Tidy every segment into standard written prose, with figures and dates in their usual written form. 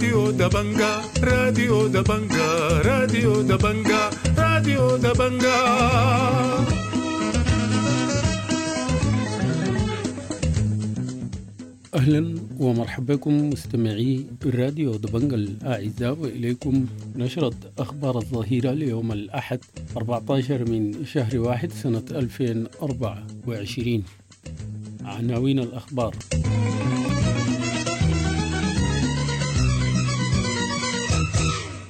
راديو دبنجا، راديو دبنجا، راديو دبنجا، راديو دبنجا. أهلا ومرحبا بكم مستمعي راديو دبنجا الأعزاء، وإليكم نشرة أخبار الظهيرة ليوم الأحد 14 من شهر 1 سنة 2024. عناوين الأخبار: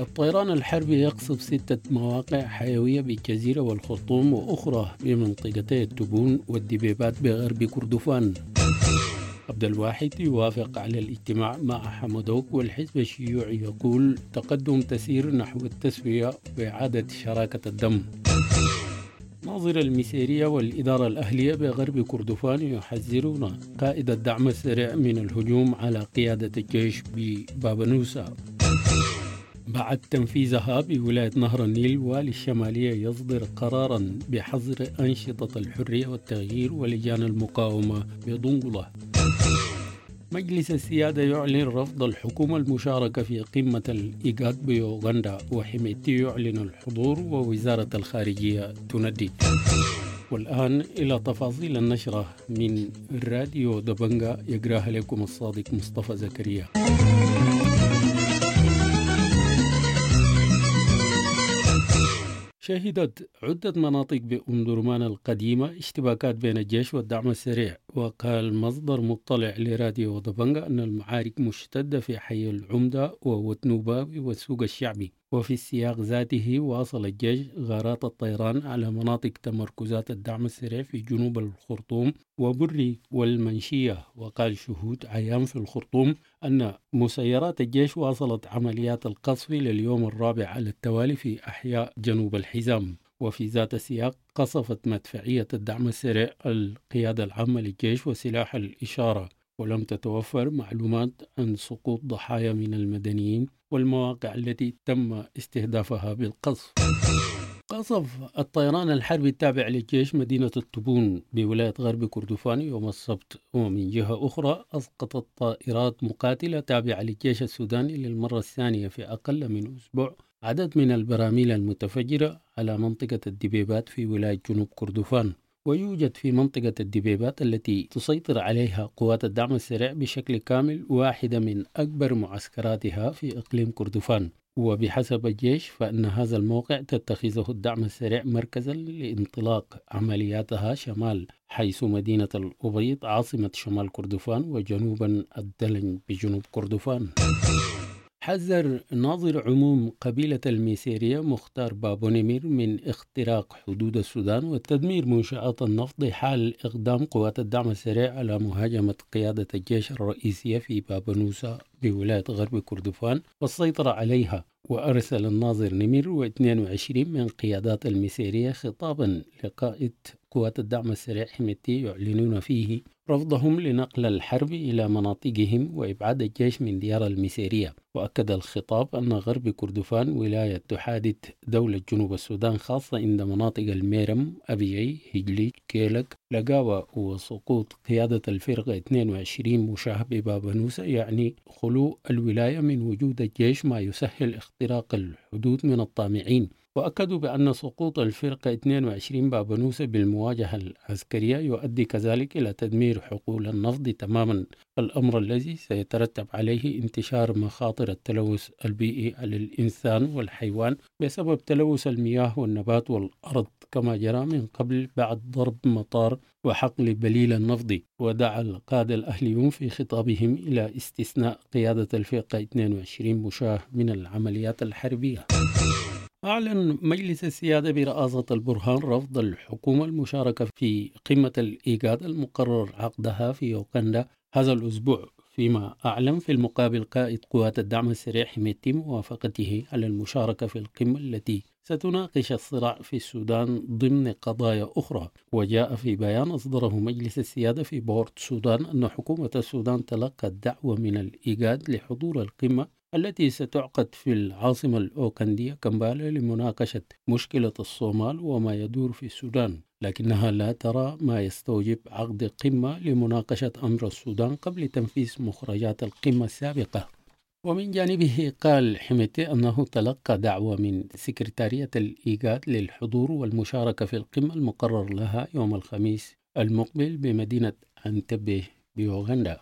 الطيران الحربي يقصف 6 مواقع حيوية بالجزيرة والخرطوم وأخرى بمنطقتي التبون والدبيبات بغرب كردفان. عبد الواحد يوافق على الاجتماع مع حمدوك، والحزب الشيوعي يقول تقدم تسير نحو التسوية وإعادة شراكة الدم. ناظر المسيرية والإدارة الأهلية بغرب كردفان يحذرون قائد الدعم السريع من الهجوم على قيادة الجيش ببابنوسة. بعد تنفيذها بولاية نهر النيل، والي الشمالية يصدر قرارا بحظر أنشطة الحرية والتغيير ولجان المقاومة بدنقلة. مجلس السيادة يعلن رفض الحكومة المشاركة في قمة الإيجاد بيوغندا، وحميدتي يعلن الحضور ووزارة الخارجية تندد. والآن إلى تفاصيل النشرة من راديو دبنجا، يقراها لكم الصادق مصطفى زكريا. شهدت عدة مناطق بأم درمان القديمة اشتباكات بين الجيش والدعم السريع، وقال مصدر مطلع لراديو دبنجا أن المعارك مشتدة في حي العمدة ووتنوباوي والسوق الشعبي. وفي السياق ذاته واصل الجيش غارات الطيران على مناطق تمركزات الدعم السريع في جنوب الخرطوم وبري والمنشية. وقال شهود عيان في الخرطوم أن مسيرات الجيش واصلت عمليات القصف لليوم الرابع على التوالي في أحياء جنوب الحزام. وفي ذات السياق قصفت مدفعية الدعم السريع القيادة العامة للجيش وسلاح الإشارة، ولم تتوفر معلومات عن سقوط ضحايا من المدنيين والمواقع التي تم استهدافها بالقصف. قصف الطيران الحربي التابع للجيش مدينة التبون بولاية غرب كردفان يوم السبت، ومن جهة أخرى أسقطت طائرات مقاتلة تابعة للجيش السوداني للمرة الثانية في أقل من أسبوع عدد من البراميل المتفجرة على منطقة الدبيبات في ولاية جنوب كردفان. ويوجد في منطقة الدبيبات التي تسيطر عليها قوات الدعم السريع بشكل كامل واحدة من أكبر معسكراتها في إقليم كردفان. وبحسب الجيش فإن هذا الموقع تتخذه الدعم السريع مركزا لانطلاق عملياتها شمال، حيث مدينة الأبيض عاصمة شمال كردفان وجنوبا الدلن بجنوب كردفان. حذر ناظر عموم قبيلة الميسيرية مختار بابونيمير من اختراق حدود السودان وتدمير منشآت النفط حال إقدام قوات الدعم السريع على مهاجمة قيادة الجيش الرئيسية في بابنوسة بولاية غرب كردفان والسيطرة عليها. وأرسل الناظر نمير و22 من قيادات الميسيرية خطابا لقائد قوات الدعم السريع حميدتي يعلنون فيه رفضهم لنقل الحرب إلى مناطقهم وإبعاد الجيش من ديار الميسيرية. وأكد الخطاب أن غرب كردفان ولاية تحادث دولة جنوب السودان، خاصة عند مناطق الميرم، أبيعي، هجليج، كيلك، لقاوة. وسقوط قيادة الفرقة 22 مشاه ببابنوسة يعني خلو الولاية من وجود الجيش، ما يسهل اختراق الحدود من الطامعين. وأكدوا بأن سقوط الفرقة 22 بابنوسة بالمواجهة العسكرية يؤدي كذلك إلى تدمير حقول النفط تماما، الأمر الذي سيترتب عليه انتشار مخاطر التلوث البيئي على الإنسان والحيوان بسبب تلوث المياه والنبات والأرض، كما جرى من قبل بعد ضرب مطار وحقل بليل النفط. ودعا القادة الأهليون في خطابهم إلى استثناء قيادة الفرقة 22 مشاه من العمليات الحربية. أعلن مجلس السيادة برئاسة البرهان رفض الحكومة المشاركة في قمة الإيجاد المقرر عقدها في يوغندا هذا الأسبوع، فيما أعلن في المقابل قائد قوات الدعم السريع حميدتي موافقته على المشاركة في القمة التي ستناقش الصراع في السودان ضمن قضايا أخرى. وجاء في بيان أصدره مجلس السيادة في بورت السودان أن حكومة السودان تلقت دعوة من الإيجاد لحضور القمة التي ستعقد في العاصمة الأوكندية كمبالا لمناقشة مشكلة الصومال وما يدور في السودان، لكنها لا ترى ما يستوجب عقد قمة لمناقشة أمر السودان قبل تنفيذ مخرجات القمة السابقة. ومن جانبه قال حميدتي أنه تلقى دعوة من سكرتارية الإيجاد للحضور والمشاركة في القمة المقرر لها يوم الخميس المقبل بمدينة أنتبه بيوغندا.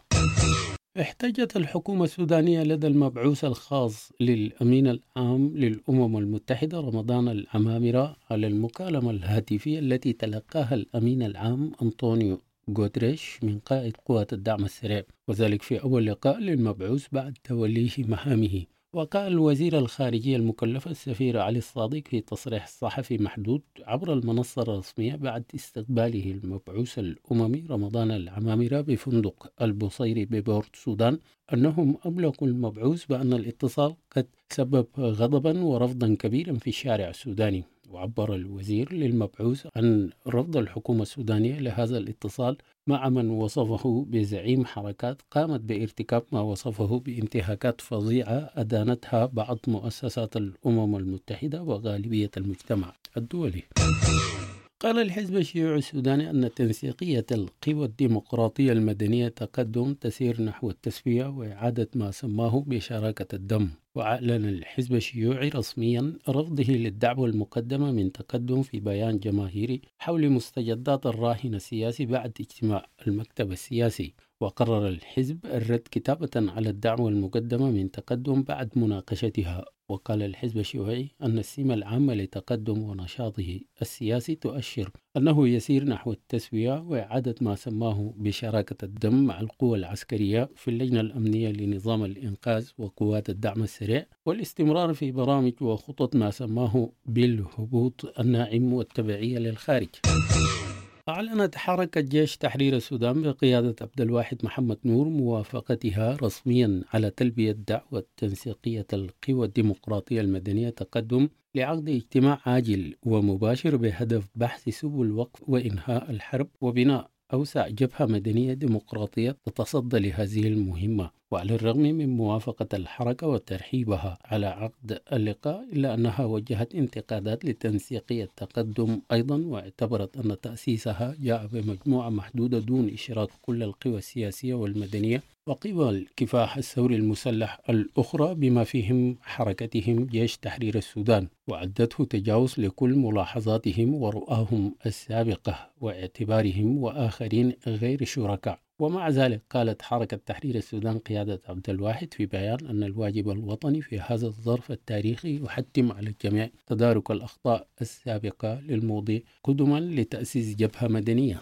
احتجت الحكومة السودانية لدى المبعوث الخاص للأمين العام للأمم المتحدة رمضان العمامرة على المكالمة الهاتفية التي تلقاها الأمين العام أنطونيو غوتريش من قائد قوات الدعم السريع، وذلك في أول لقاء للمبعوث بعد توليه مهامه. وقال وزير الخارجية المكلف السفير علي الصادق في تصريح صحفي محدود عبر المنصة الرسمية بعد استقباله المبعوث الأممي رمضان العمامرة بفندق البصيري ببورت سودان أنهم أبلغوا المبعوث بأن الاتصال قد سبب غضبا ورفضا كبيرا في الشارع السوداني. وعبر الوزير للمبعوث عن رفض الحكومة السودانية لهذا الاتصال مع من وصفه بزعيم حركات قامت بارتكاب ما وصفه بانتهاكات فظيعة أدانتها بعض مؤسسات الأمم المتحدة وغالبية المجتمع الدولي. قال الحزب الشيوعي السوداني أن تنسيقية القوى الديمقراطية المدنية تقدم تسير نحو التسوية وإعادة ما سماه بشراكة الدم. وأعلن الحزب الشيوعي رسميا رفضه للدعوة المقدمة من تقدم في بيان جماهيري حول مستجدات الراهن السياسي بعد اجتماع المكتب السياسي. وقرر الحزب الرد كتابة على الدعوة المقدمة من تقدم بعد مناقشتها. وقال الحزب الشيوعي أن السمة العامة لتقدم ونشاطه السياسي تؤشر أنه يسير نحو التسوية وإعادة ما سماه بشراكة الدم مع القوى العسكرية في اللجنة الأمنية لنظام الإنقاذ وقوات الدعم السريع، والاستمرار في برامج وخطط ما سماه بالهبوط الناعم والتبعية للخارج. أعلنت حركة جيش تحرير السودان بقيادة عبد الواحد محمد نور موافقتها رسميا على تلبية دعوة تنسيقية القوى الديمقراطية المدنية تقدم لعقد اجتماع عاجل ومباشر بهدف بحث سبل وقف وإنهاء الحرب وبناء أوسع جبهة مدنية ديمقراطية تتصدى لهذه المهمة. وعلى الرغم من موافقة الحركة وترحيبها على عقد اللقاء، إلا أنها وجهت انتقادات لتنسيقية التقدم أيضا، واعتبرت أن تأسيسها جاء بمجموعة محدودة دون إشراك كل القوى السياسية والمدنية وقوى الكفاح الثوري المسلح الأخرى بما فيهم حركتهم جيش تحرير السودان، وعدته تجاوز لكل ملاحظاتهم ورؤاهم السابقة واعتبارهم وآخرين غير شركاء. ومع ذلك قالت حركة تحرير السودان قيادة عبد الواحد في بيان أن الواجب الوطني في هذا الظرف التاريخي يحتم على الجميع تدارك الأخطاء السابقة للماضي قدما لتأسيس جبهة مدنية.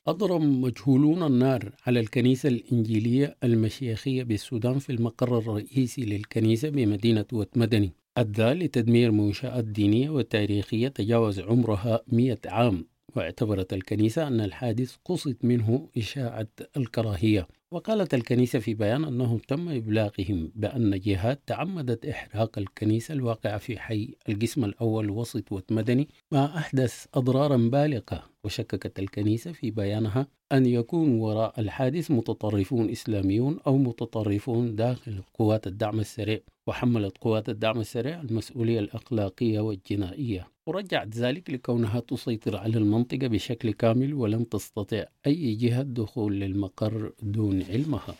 أضرم مجهولون النار على الكنيسة الإنجيلية المشيخية بالسودان في المقر الرئيسي للكنيسة بمدينة وتمدني، أدى لتدمير منشآت دينية وتاريخية تجاوز عمرها 100 عام. واعتبرت الكنيسة أن الحادث قصد منه إشاعة الكراهية. وقالت الكنيسة في بيان أنه تم إبلاغهم بأن جهات تعمدت إحراق الكنيسة الواقعة في حي القسم الأول وسط وتمدني ما أحدث أضرارا بالغة. وشككت الكنيسة في بيانها أن يكون وراء الحادث متطرفون إسلاميون أو متطرفون داخل قوات الدعم السريع، وحملت قوات الدعم السريع المسؤولية الأخلاقية والجنائية، ورجعت ذلك لكونها تسيطر على المنطقة بشكل كامل ولم تستطع أي جهة الدخول للمقر دون علمها.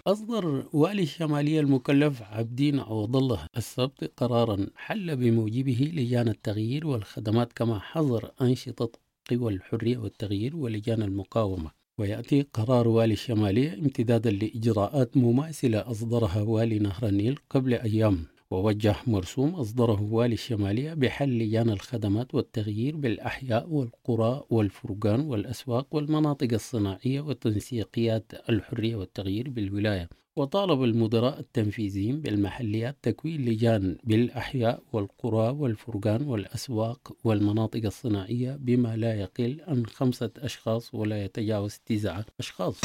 أصدر والي الشمالية المكلف عبدين عوض الله السبت قرارا حل بموجبه لجان التغيير والخدمات كما حظر أنشطة قوى الحرية والتغيير ولجان المقاومة. ويأتي قرار والي الشمالية امتدادا لإجراءات مماثلة أصدرها والي نهر النيل قبل أيام. ووجه مرسوم أصدره والي الشمالية بحل لجان الخدمات والتغيير بالأحياء والقرى والفرقان والأسواق والمناطق الصناعية وتنسيقيات الحرية والتغيير بالولاية. وطالب المدراء التنفيذيين بالمحليات تكوين لجان بالأحياء والقرى والفرقان والأسواق والمناطق الصناعية بما لا يقل عن 5 أشخاص ولا يتجاوز 9 أشخاص.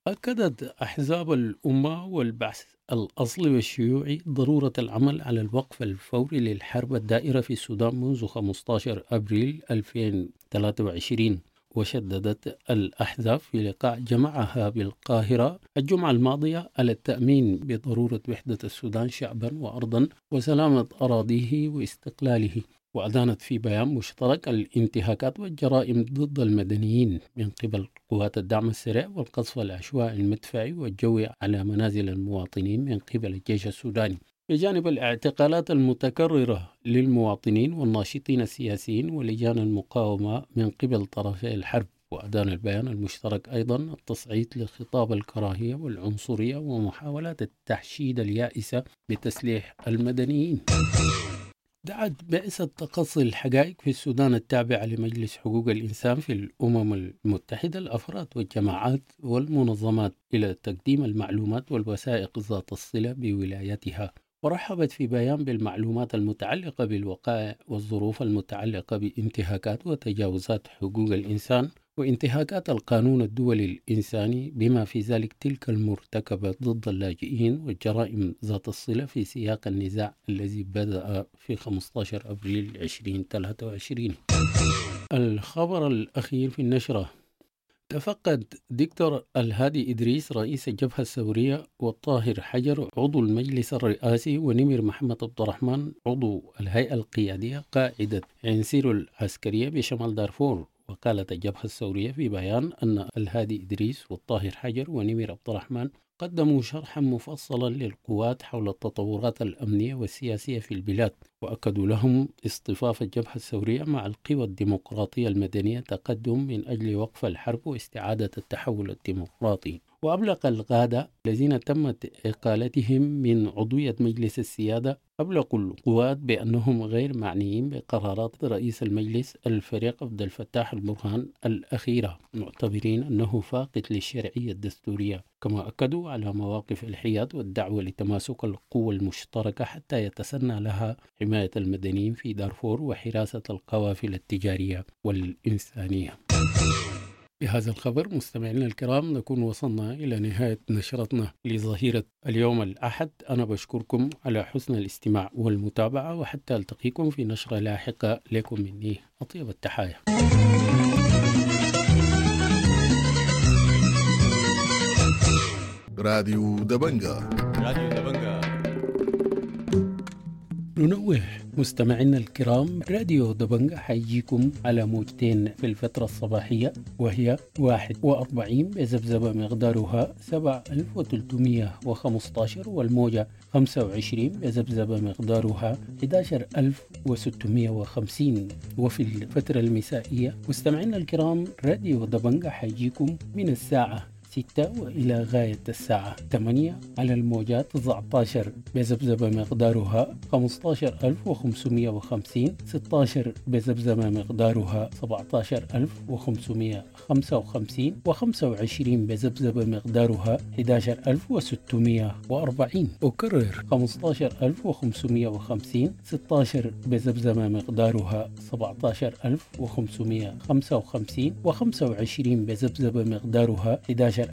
أكدت أحزاب الأمة والبعث الأصلي والشيوعي ضرورة العمل على الوقف الفوري للحرب الدائرة في السودان منذ 15 أبريل 2023. وشددت الأحزاب في لقاء جمعها بالقاهرة الجمعة الماضية على التأمين بضرورة وحدة السودان شعبا وأرضا وسلامة أراضيه واستقلاله. وأدانت في بيان مشترك الانتهاكات والجرائم ضد المدنيين من قبل قوات الدعم السريع والقصف العشوائي المدفعي والجوي على منازل المواطنين من قبل الجيش السوداني، بجانب الاعتقالات المتكررة للمواطنين والناشطين السياسيين ولجان المقاومة من قبل طرفي الحرب. وأدان البيان المشترك أيضا التصعيد لخطاب الكراهية والعنصرية ومحاولات التحشيد اليائسة بتسليح المدنيين. دعت بعثة تقصي الحقائق في السودان التابعة لمجلس حقوق الإنسان في الأمم المتحدة الأفراد والجماعات والمنظمات إلى تقديم المعلومات والوثائق ذات الصلة بولايتها. ورحبت في بيان بالمعلومات المتعلقة بالوقائع والظروف المتعلقة بانتهاكات وتجاوزات حقوق الإنسان وانتهاكات القانون الدولي الإنساني، بما في ذلك تلك المرتكبة ضد اللاجئين والجرائم ذات الصلة في سياق النزاع الذي بدأ في 15 أبريل 2023. الخبر الأخير في النشرة: تفقد دكتور الهادي إدريس رئيس الجبهة الثورية والطاهر حجر عضو المجلس الرئاسي ونمر محمد عبد الرحمن عضو الهيئة القيادية قاعدة عنسير العسكرية بشمال دارفور. وقالت الجبهة الثورية في بيان أن الهادي إدريس والطاهر حجر ونمر عبد الرحمن قدموا شرحا مفصلا للقوات حول التطورات الأمنية والسياسية في البلاد، وأكدوا لهم اصطفاف الجبهة الثورية مع القوى الديمقراطية المدنية تقدم من أجل وقف الحرب واستعادة التحول الديمقراطي. وأبلغ القادة الذين تمت إقالتهم من عضوية مجلس السيادة أبلغوا القوات بأنهم غير معنيين بقرارات رئيس المجلس الفريق عبد الفتاح البرهان الأخيرة، معتبرين أنه فاقد للشرعية الدستورية. كما أكدوا على مواقف الحياد والدعوة لتماسك القوى المشتركة حتى يتسنى لها حماية المدنيين في دارفور وحراسة القوافل التجارية والإنسانية. بهذا الخبر مستمعينا الكرام نكون وصلنا إلى نهاية نشرتنا لظهيرة اليوم الأحد. أنا بشكركم على حسن الاستماع والمتابعة، وحتى ألتقيكم في نشرة لاحقة، لكم مني أطيب التحايا. راديو دبنجا. راديو دبنجا. ننوه مستمعينا الكرام، راديو دبنجا حيجيكم على موجتين في الفترة الصباحية، وهي 41 بذبذبة مقدارها 7315، والموجة 25 بذبذبة مقدارها 11650. وفي الفترة المسائية مستمعينا الكرام، راديو دبنجا حيجيكم من الساعة 6 وإلى غاية الساعة 8 على الموجات 19 بذبذبة مقدارها 15550، 16 بذبذبة مقدارها 17555، و25 بذبذبة مقدارها 11640. أكرر 15550، 16 بذبذبة مقدارها 17555، و25 بذبذبة مقدارها 11640.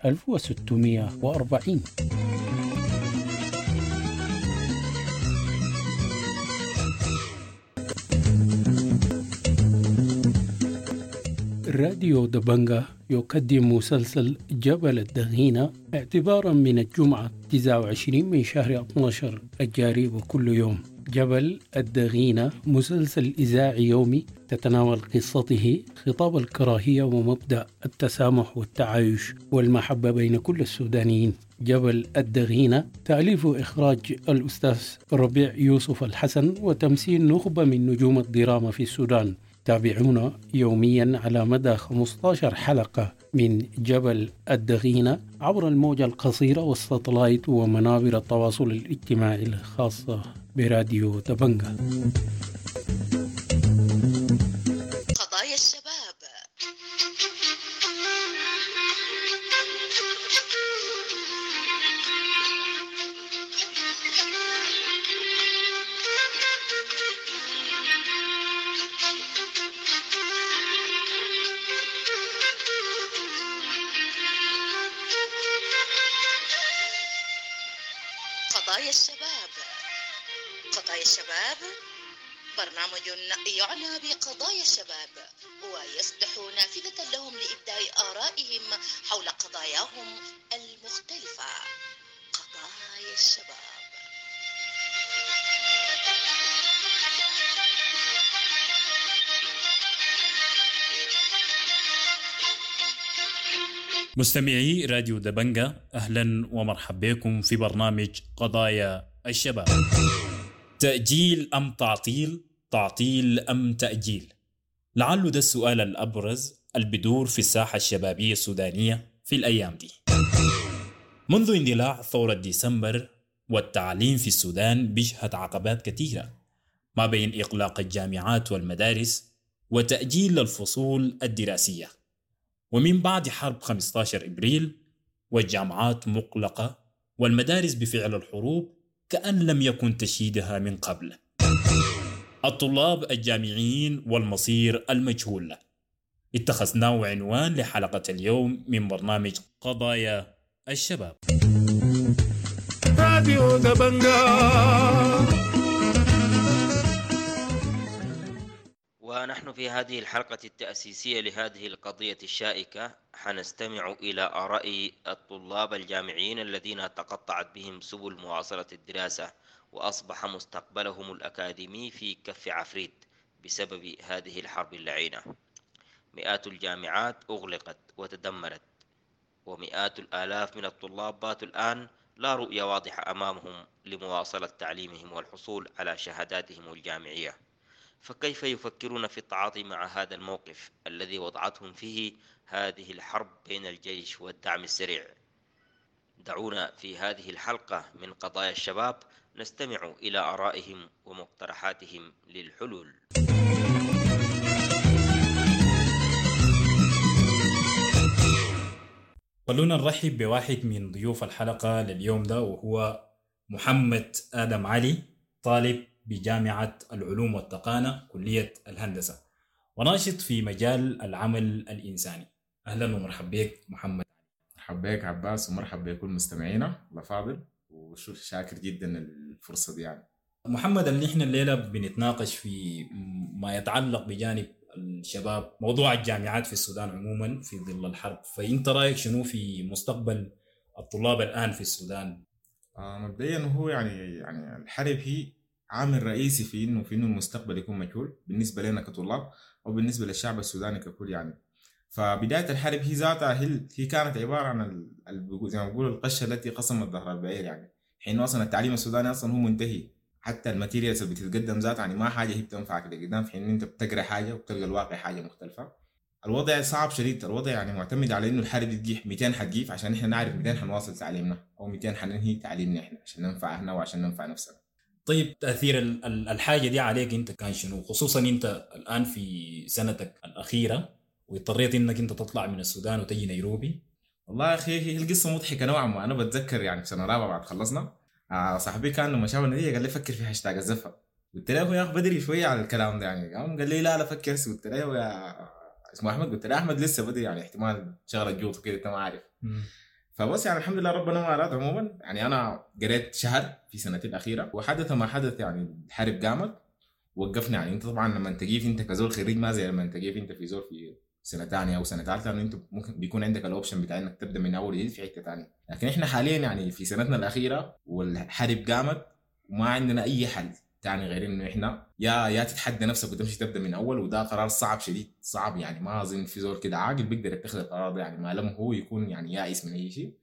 راديو دبنجا يقدم مسلسل جبل الدغينة اعتبارا من الجمعة 29 من شهر 12 الجاري وكل يوم. جبل الدغينة مسلسل إذاعي يومي تتناول قصته خطاب الكراهية ومبدأ التسامح والتعايش والمحبة بين كل السودانيين. جبل الدغينة تأليف وإخراج الأستاذ ربيع يوسف الحسن وتمثيل نخبة من نجوم الدراما في السودان. تابعونا يوميا على مدى 15 حلقة من جبل الدغينة عبر الموجة القصيرة والساتلايت ومنابر التواصل الاجتماعي الخاصة براديو دبنجا. قضايا الشباب. قضايا الشباب. قضايا الشباب برنامج يعنى بقضايا الشباب ويفتح نافذة لهم لإبداء آرائهم حول قضاياهم المختلفة. قضايا الشباب. مستمعي راديو دبنجة، أهلا ومرحبا بكم في برنامج قضايا الشباب. تأجيل أم تعطيل؟ تعطيل أم تأجيل؟ لعله ده السؤال الأبرز البدور في الساحة الشبابية السودانية في الأيام دي. منذ اندلاع ثورة ديسمبر والتعليم في السودان بيشهد عقبات كثيرة ما بين إغلاق الجامعات والمدارس وتأجيل الفصول الدراسية، ومن بعد حرب 15 إبريل والجامعات مغلقة والمدارس بفعل الحروب كأن لم يكن تشييدها من قبل. الطلاب الجامعيين والمصير المجهول اتخذناه عنوان لحلقة اليوم من برنامج قضايا الشباب. راديو دبنجا. ونحن في هذه الحلقة التأسيسية لهذه القضية الشائكة حنستمع إلى آراء الطلاب الجامعيين الذين تقطعت بهم سبل مواصلة الدراسة وأصبح مستقبلهم الأكاديمي في كف عفريت بسبب هذه الحرب اللعينة. مئات الجامعات أغلقت وتدمرت، ومئات الآلاف من الطلاب باتوا الآن لا رؤية واضحة أمامهم لمواصلة تعليمهم والحصول على شهاداتهم الجامعية. فكيف يفكرون في التعاطي مع هذا الموقف الذي وضعتهم فيه هذه الحرب بين الجيش والدعم السريع؟ دعونا في هذه الحلقة من قضايا الشباب نستمع إلى آرائهم ومقترحاتهم للحلول. خلونا نرحب بواحد من ضيوف الحلقة لليوم ده، وهو محمد آدم علي، طالب بجامعة العلوم والتقانة كلية الهندسة وناشط في مجال العمل الإنساني. أهلا ومرحبا بك محمد. مرحبا بك عباس، ومرحبا بكل مستمعينا الأفاضل، وشاكر جدا الفرصة دي. يعني محمد، اللي احنا الليلة بنتناقش في ما يتعلق بجانب الشباب، موضوع الجامعات في السودان عموما في ظل الحرب، فانت رايك شنو في مستقبل الطلاب الآن في السودان؟ مبدئيا هو يعني الحرب هي عامل رئيسي في انه المستقبل يكون مجهول بالنسبة لنا كطلاب او بالنسبة للشعب السوداني ككل. يعني فبداية الحرب هي ذاتها هي كانت عبارة عن زي ما بيقولوا القشه التي قسمت ظهر البعير. يعني حين اصلا التعليم السوداني اصلا هو منتهي، حتى ال materials اللي بتتقدم ذاتها يعني ما حاجة هي بتنفعك لقدام، في حين انت بتقرا حاجة وبتلقى الواقع حاجة مختلفة. الوضع صعب شديد، الوضع يعني معتمد على انه الحرب دي تجيح 200 حتجيف عشان احنا نعرف 200 حنواصل تعليمنا او 200 حننهي تعليمنا احنا عشان ننفع اهلنا وعشان ننفع نفسنا. طيب تأثير الحاجة دي عليك انت كان شنو، خصوصا انت الآن في سنتك الأخيرة واضطريت انك انت تطلع من السودان وتجي نيروبي؟ والله يا اخي هي القصة مضحكة نوعا ما. انا بتذكر يعني في سنة رابعة بعد خلصنا، صاحبي كان لما شاف النتيجة قال لي فكر في هاشتاج الزفة. قلت له يا اخي بدري شوية على الكلام ده يعني. قام قال لي لا فكر. قلت له يا اسمه احمد، قلت له احمد لسه بدري يعني احتمال شغلة جوط كده انت ما عارف. فبس يعني الحمد لله ربنا ما أراد. عموما يعني أنا قريت شهر في سنتي الأخيرة وحدث ما حدث، يعني الحرب قامت وقفنا. يعني أنت طبعا لما تجيف أنت كزول خريج ما زي لما تجيف أنت في زول في سنة ثانية أو سنة ثالثة، لأنه أنت ممكن بيكون عندك ال option بتاع إنك تبدأ من أول جديد في حتة ثانية. لكن إحنا حاليا يعني في سنتنا الأخيرة والحرب قامت وما عندنا أي حل تاني غير إنه إحنا يا تتحدى نفسك وتمشي تبدأ من أول، وده قرار صعب شديد صعب. يعني ما أظن في زول كده عاقل بيقدر يتخذ القرار ده، يعني ما لم هو يكون يعني يائس من أي شيء،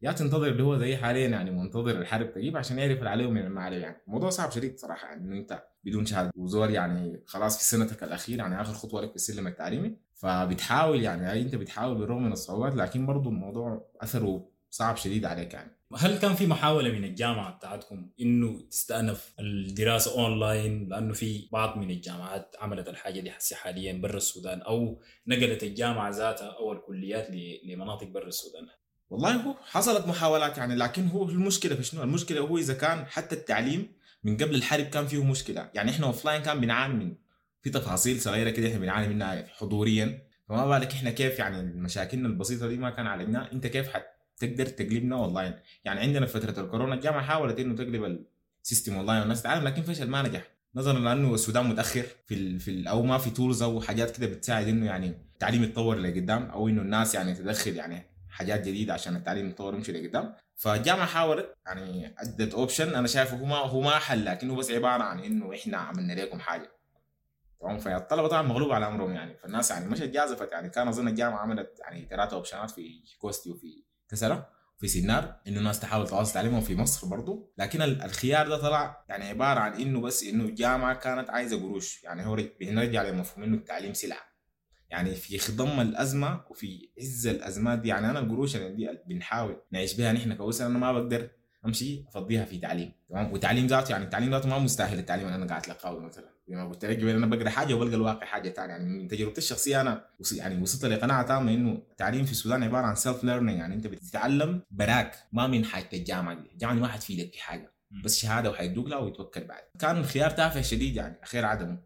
يا تنتظر اللي هو زي حاليا يعني منتظر الحرب تجيب عشان يعرف اللي عليه ومن ما عليه. يعني الموضوع صعب شديد صراحة، يعني إنه أنت بدون شهادة وزور يعني خلاص في سنتك الأخيرة، يعني آخر خطوة لك في السلم التعليمي، فبتحاول يعني أنت بتحاول بالرغم من الصعوبات، لكن برضو الموضوع أثره صعب شديد عليك. يعني هل كان في محاولة من الجامعة بتاعتكم إنه تستأنف الدراسة أونلاين؟ لأنه في بعض من الجامعات عملت الحاجة دي حسي حاليا برا السودان، أو نقلت الجامعة ذاتها أو الكليات لمناطق برا السودان. والله هو حصلت محاولات يعني، لكن هو المشكلة في شنو؟ المشكلة هو إذا كان حتى التعليم من قبل الحرب كان فيه مشكلة. يعني إحنا offline كان بنعاني من في تفاصيل صغيرة كده إحنا بنعاني منها حضوريا، فما بالك إحنا كيف يعني مشاكلنا البسيطة دي ما كان علينا، أنت كيف تقدر تقلبنا اونلاين؟ يعني عندنا في فترة الكورونا الجامعة حاولت انه تقلب ال system online والناس تتعلم، لكن فشل ما نجح، نظرا لانه السودان متاخر في او ما في tools او حاجات كده بتساعد انه يعني التعليم يتطور لقدام، او انه الناس يعني تدخل يعني حاجات جديدة عشان التعليم يتطور ويمشي لقدام. فالجامعه حاولت يعني ادت option انا شايفه هو ما حل، لكنه بس عبارة عن انه احنا عملنا لكم حاجة. تمام. فالطلبه طبعا مغلوب على امرهم يعني، فالناس يعني مشت جازفت يعني. كان اظن الجامعة عملت يعني 3 option ات في كوستي وفي كسره في سنار، انه الناس تحاول تواصل تعليمهم في مصر برضو. لكن الخيار ده طلع يعني عبارة عن انه بس انه الجامعة كانت عايزه قروش يعني. هو بنرجع لمفهوم انه التعليم سلعه يعني، في خضم الازمة وفي عز الازمات دي. يعني انا القروش اللي دي بنحاول نعيش بها نحن كأسرة، انا ما بقدر امشي افضيها في تعليم، تمام. وتعليم ذاته يعني التعليم ذاته ما مستاهل التعليم اللي انا قاعد اتلقاه مثلا. زي ما قلت لك انا بقرا حاجة وبلقى الواقع حاجة ثانية يعني. من تجربتي الشخصية انا يعني وصلت لقناعة تامة انه التعليم في السودان عبارة عن self learning، يعني انت بتتعلم براك، ما من حاجة الجامعة دي. الجامعة دي ما حتفيدك في حاجة، بس شهادة وحيدوك لها ويتوكل بعد. كان الخيار تافه شديد يعني، اخير عدمه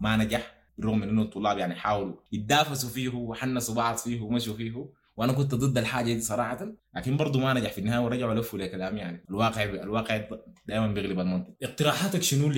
ما نجح، بالرغم من انه الطلاب يعني حاولوا يتدافسوا فيه وحنسوا بعض فيه ومشوا فيه، وانا كنت ضد الحاجة دي صراحة، لكن برضه ما نجح في النهاية ورجعوا لفوا لكلام يعني. الواقع دائما بيغلب المنطق. اقتراحاتك شنو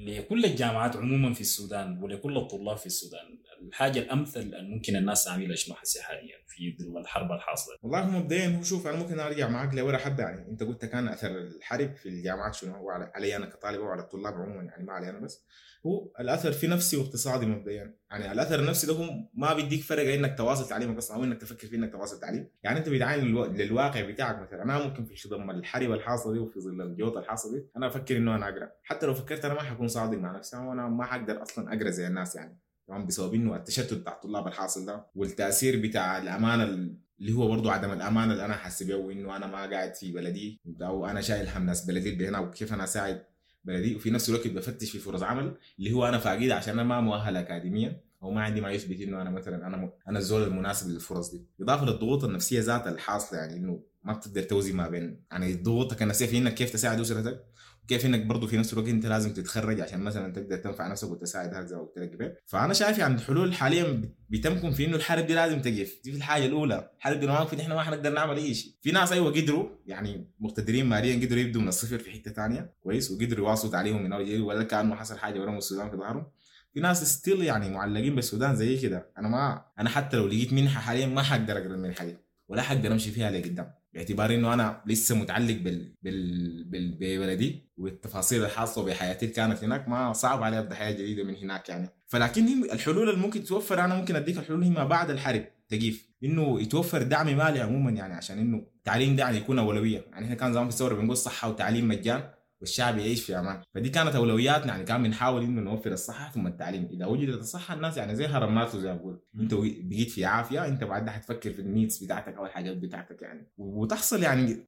لكل الجامعات عموما في السودان ولكل الطلاب في السودان؟ الحاجة الامثل اللي ممكن الناس تعملها شنو حسي حاليا في ظل الحرب الحاصلة؟ والله مبدئيا هو شوف، انا ممكن ارجع معاك لورا حبه يعني. انت قلت كان اثر الحرب في الجامعات شنو هو علي انا كطالب وعلى الطلاب عموما يعني، ما علي انا بس. هو الاثر في نفسي واقتصادي مبدئيا يعني. الاثر النفسي ده هو ما بيديك فرق انك تواصل تعليمك اصلا او انك تفكر في انك تواصل تعليم يعني. انت بتعاين للواقع بتاعك مثلا. انا ممكن في خضم الحرب الحاصلة دي وفي ظل الجوطه الحاصلة دي انا افكر انه انا اقرا، حتى لو فكرت انا ما حكون صادق مع نفسي وانا ما حقدر اصلا اقرا زي الناس يعني، تمام. بسبب انه التشتت بتاع الطلاب الحاصل ده والتاثير بتاع الامانة اللي هو برضه عدم الامانة اللي انا حاسس بيه، وانه انا ما قاعد في بلدي او انا شايل هم ناس بلدي اللي هنا وكيف انا اساعد بلدي، وفي نفس الوقت بفتش في فرص عمل اللي هو انا فاقدها عشان انا ما مؤهل اكاديميا او ما عندي ما يثبت انه انا مثلا انا الزول المناسب للفرص دي. اضافه للضغوط النفسية ذاتها الحاصلة يعني، انه ما بتقدر توزن ما بين يعني ضغوطك النفسية في انك كيف تساعد اسرتك، وكيف انك برضه في نفس الوقت انت لازم تتخرج عشان مثلا تقدر تنفع نفسك وتساعد هكذا زي ما قلت لك قبل. فانا شايف يعني الحلول حاليا بتمكن في انه الحرب دي لازم تقف، دي في الحاجة الاولى. الحرب دي لو ما وقفت احنا ما حنقدر نعمل اي شيء. في ناس ايوه قدروا يعني مقتدرين ماليا قدروا يبدوا من الصفر في حتة ثانية كويس، وقدروا يواصلوا تعليمهم من اول جديد ولا كانه حصل حاجة ورموا السودان في ظهرهم. في ناس still يعني معلقين بالسودان زي كده. انا حتى لو لقيت منحه حاليا ما حقدر اقرا المنحة دي ولا حقدر امشي فيها لقدام، باعتبار انه انا لسه متعلق ببلدي والتفاصيل الحاصلة بحياتي اللي كانت هناك، ما صعب علي ابدا حياة جديدة من هناك يعني. فلكن الحلول اللي ممكن تتوفر، انا ممكن اديك الحلول هي ما بعد الحرب تقيف، انه يتوفر دعم مالي عموما يعني، عشان انه التعليم ده يعني يكون اولوية. يعني احنا كان زمان في الثورة بنقول صحة وتعليم مجان والشعب يعيش في امان، فدي كانت اولوياتنا يعني. كان بنحاول انه نوفر الصحة ثم التعليم. اذا وجدت الصحة الناس يعني زي هرم ماسلو زي ما بقول، انت بقيت في عافية انت بعدها حتفكر في ال needs بتاعتك او الحاجات بتاعتك يعني، وتحصل يعني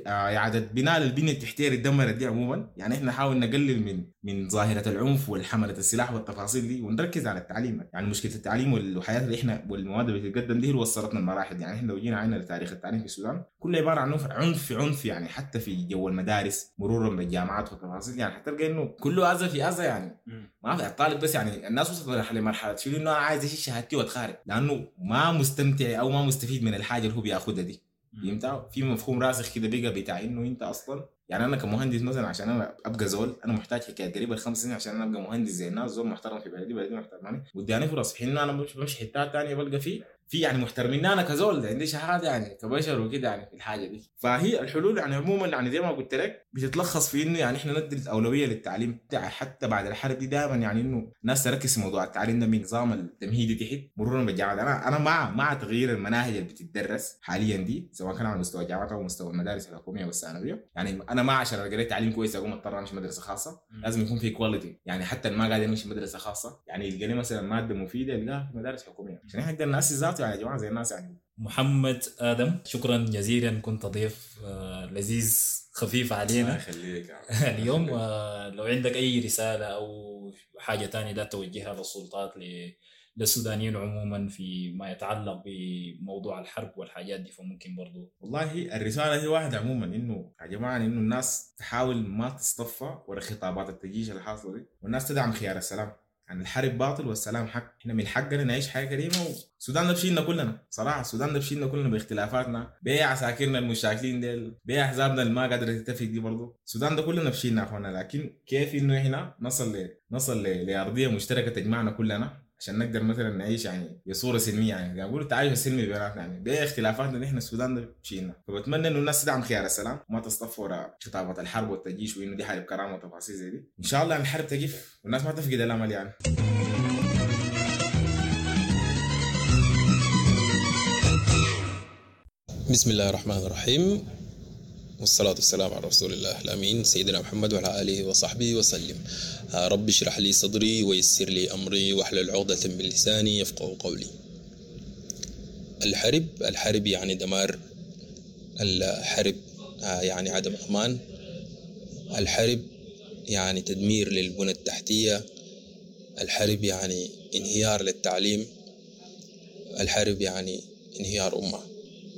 اعاده بناء للبنيه التحتية اللي اتدمرت دي عموما يعني. احنا نحاول نقلل من ظاهره العنف والحمله السلاح والتفاصيل دي، ونركز على التعليم يعني. مشكلة التعليم والحياة اللي احنا والمواد اللي بتتقدم دي اللي وصلتنا المراحل يعني. احنا لو جينا عندنا لتاريخ التعليم في السودان كله عبارة عن عنف عنف يعني، حتى في جو المدارس مرورا بالجامعات والتفاصيل يعني، حتلقى انه كله اذى في اذى يعني. ما في الطالب بس يعني، الناس وصلت لمرحلة شنو انه انا عايز اشيل شهادتي واتخارج لانه ما مستمتع او ما مستفيد من الحاجة اللي هو بياخدها دي. فهمت؟ في مفهوم راسخ كده بقى بتاع انه انت اصلا يعني. انا كمهندس مثلا عشان انا ابقى زول انا محتاج حكاية قريبه 5 سنين عشان انا ابقى مهندس زي الناس، زول محترم في بلدي، بلدي محترماني وداني فرص. في حين انا بمشي حتات ثانية بلقى في يعني محترمين انا كزول عندي شهادة يعني كبشر وكده يعني في الحاجة دي. فهي الحلول يعني عموما يعني زي ما قلت لك بتتلخص في انه يعني احنا ندي الاولوية للتعليم حتى بعد الحرب دي دائما يعني، انه الناس تركز في موضوع التعليم ده من نظام التمهيدي تحت مرورا بالجامعات. انا مع تغيير المناهج اللي بتدرس حاليا دي، سواء كان على مستوى الجامعات او مستوى المدارس الحكومية والثانويه يعني. انا ما عشان القى تعليم كويس اقوم اضطر امشي مدرسه خاصة، لازم يكون في quality يعني. حتى ما قاعد امشي مدرسه خاصة يعني يلقى لي مثلا مادة مفيدة يلقاها في مدارس حكومية عشان احنا نقدر ناسس ذاته يعني يا جماعة زي الناس يعني. محمد ادم، شكرا جزيلا، كنت ضيف لذيذ خفيف علينا يخليك اليوم. لو عندك اي رسالة او حاجة ثانية لا توجهها للسلطات للسودانيين عموما في ما يتعلق بموضوع الحرب والحاجات دي، فممكن برضو. والله الرسالة هي واحدة عموما، انه يا جماعة انه الناس تحاول ما تصطفى ورا خطابات التجيش الحاصلة دي، والناس تدعم خيار السلام. يعني الحرب باطل والسلام حق، احنا من حقنا نعيش حياة كريمة. والسودان ده بشيلنا كلنا صراحة، السودان ده بشيلنا كلنا باختلافاتنا، بعساكرنا المشاكلين ديل، باحزابنا اللي ما قادرة تتفق دي برضه، السودان ده كلنا بشيلنا اخوانا. لكن كيف انه احنا نصل لارضيه مشتركة تجمعنا كلنا، عشان نقدر مثلا نعيش يعني بصورة سلمية، يعني زي ما بيقولوا التعايش السلمي بيناتنا، يعني باختلافاتنا نحن السودان ده شيلنا. فبتمنى انه الناس تدعم خيار السلام وما تصطف وراء خطابات الحرب والتجيش وانه دي حرب كرامة وتفاصيل زي دي. ان شاء الله يعني الحرب تقف والناس ما تفقد الامل يعني. بسم الله الرحمن الرحيم، والصلاة والسلام على رسول الله الأمين سيدنا محمد وعلى آله وصحبه وسلم. رب اشرح لي صدري ويسر لي أمري واحلل عقدة من لساني يفقهوا قولي. الحرب يعني دمار، الحرب يعني عدم أمان، الحرب يعني تدمير للبنى التحتية، الحرب يعني انهيار للتعليم، الحرب يعني انهيار أمة،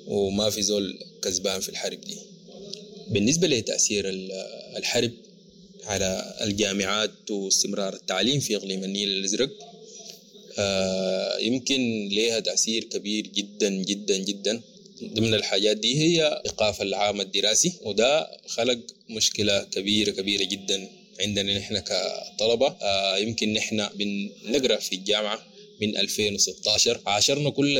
وما في زول كسبان في الحرب دي. بالنسبة لتأثير الحرب على الجامعات واستمرار التعليم في إقليم النيل الأزرق، يمكن لها تأثير كبير جدا جدا جدا. ضمن الحاجات دي هي إيقاف العام الدراسي، وده خلق مشكلة كبيرة كبيرة جدا عندنا نحن كطلبة. يمكن نحن بنقرأ في الجامعة من 2016، عاشرنا كل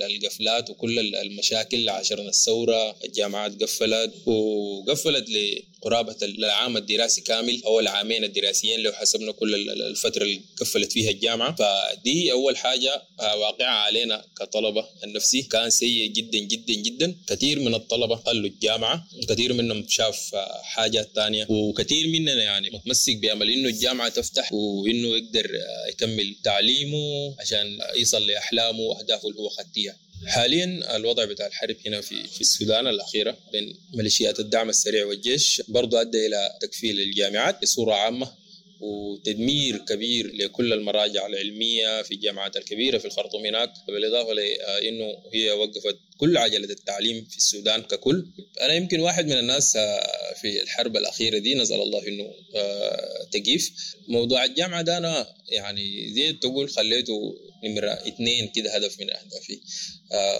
القفلات وكل المشاكل، عاشرنا الثورة، الجامعات قفلت وقفلت لقرابة العام الدراسي كامل أو العامين الدراسيين لو حسبنا كل الفترة اللي قفلت فيها الجامعة. فدي أول حاجة واقعة علينا كطلبة. النفسي كان سيء جدا جدا جدا. كثير من الطلبة خلوا الجامعة، كثير منهم شاف حاجات تانية، وكثير مننا يعني متمسك بأمل إنه الجامعة تفتح وإنه يقدر يكمل تعليمه عشان يصل لأحلامه وأهدافه اللي هو خدتيها. حاليا الوضع بتاع الحرب هنا في السودان الأخيرة بين ميليشيات الدعم السريع والجيش برضو أدى إلى تقفيل الجامعات بصورة عامة وتدمير كبير لكل المراجع العلمية في الجامعات الكبيرة في الخرطوم هناك، بالإضافة لأنه هي وقفت كل عجلة التعليم في السودان ككل. أنا يمكن واحد من الناس في الحرب الأخيرة دي نسأل الله إنه تقيف. موضوع الجامعة ده أنا يعني زي تقول خليته نمرة 2 كده هدف من أهدافي.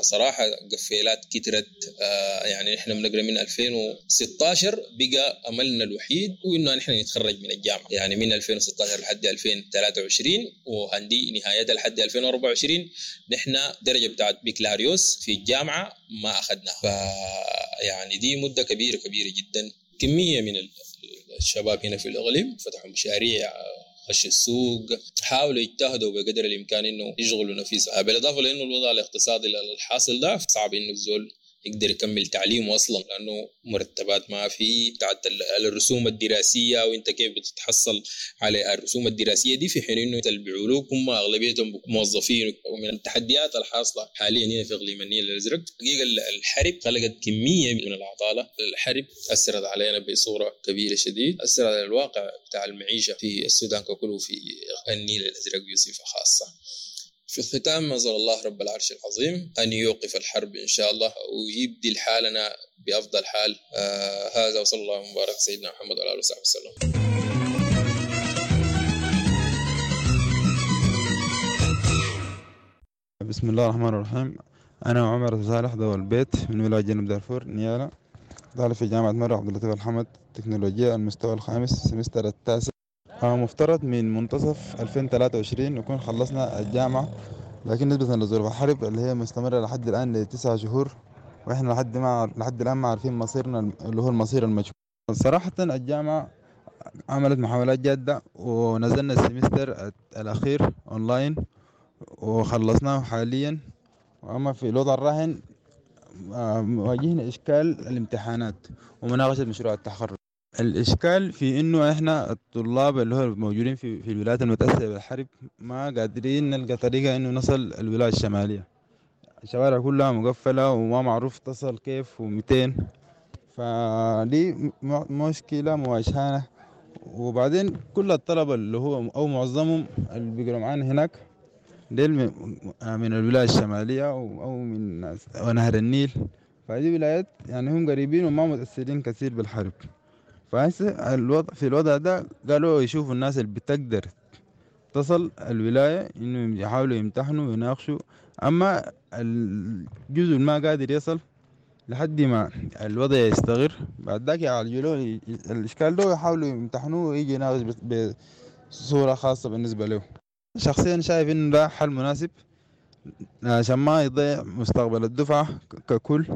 صراحة قفيلات كترت، يعني إحنا بنقرأ من 2016 بقى أملنا الوحيد وإنه نحن نتخرج من الجامعة، يعني من 2016 لحد 2023 وهندي نهايتها لحد 2024 نحن درجة بتاعت بكالوريوس في الجامعة ما أخذناها. فيعني دي مدة كبيرة كبيرة جدا. كمية من الشباب هنا في الإقليم فتحوا مشاريع، خش السوق، حاولوا يجتهدوا بقدر الإمكان إنه يشغلوا نفسهم، بالإضافة لأنه الوضع الاقتصادي الحاصل ده صعب إنه الزول يقدر يكمل تعليمه أصلا، لأنه مرتبات ما في، بتاعت الرسوم الدراسية وإنت كيف بتتحصل على الرسوم الدراسية دي، في حين إنه البعولوك هم أغلبيتهم موظفين. ومن التحديات الحاصلة حاليا هنا في إقليم النيل الأزرق حقيقة الحرب خلقت كمية من العطالة. الحرب أثرت علينا بصورة كبيرة شديد، أثرت على الواقع بتاع المعيشة في السودان ككله وفي النيل الأزرق بصفة خاصة. في الختام نسأل الله رب العرش العظيم أن يوقف الحرب إن شاء الله ويبدل حالنا بأفضل حال. هذا وصلى الله مبارك سيدنا محمد وعلى آله وصحبه وسلم. بسم الله الرحمن الرحيم. أنا عمر صالح ذو البيت من ولاية جنوب دارفور نيالا، طالب في جامعة مرة عبد اللطيف الحمد تكنولوجيا المستوى الخامس سمستر التاسع. مفترض من منتصف 2023 نكون خلصنا الجامعة، لكن نسبة لظروف الحرب اللي هي مستمرة لحد الآن ل9 شهور، وإحنا لحد الآن ما عارفين مصيرنا اللي هو المصير المجهول. صراحة الجامعة عملت محاولات جادة ونزلنا ال semester الأخير أونلاين وخلصناه حاليا. وأما في الوضع الراهن واجهنا إشكال الامتحانات ومناقشة مشروع التخرج. الإشكال في إنه إحنا الطلاب اللي هو موجودين في الولايات المتأثرة بالحرب ما قادرين نلقى طريقة إنه نصل الولاية الشمالية. الشوارع كلها مقفلة وما معروف تصل كيف ومتين، فدي مشكلة مواجهانا. وبعدين كل الطلبة اللي هو أو معظمهم اللي بيقروا معانا هناك ديل من الولاية الشمالية أو من نهر النيل، فدي ولايات يعني هم قريبين وما متأثرين كثير بالحرب. فهسه الوضع في الوضع ده قالوا يشوفوا الناس اللي بتقدر تصل الولاية إنه يحاولوا يمتحنوا ويناقشوا، أما الجزء ما قادر يصل لحد ما الوضع يستقر بعد ذاك يعالجوا له الإشكال ده ويحاولوا يمتحنوه ويجي يناقش بصورة خاصة بالنسبة له. شخصيا شايف إنه ده حل مناسب عشان ما يضيع مستقبل الدفعة ككل،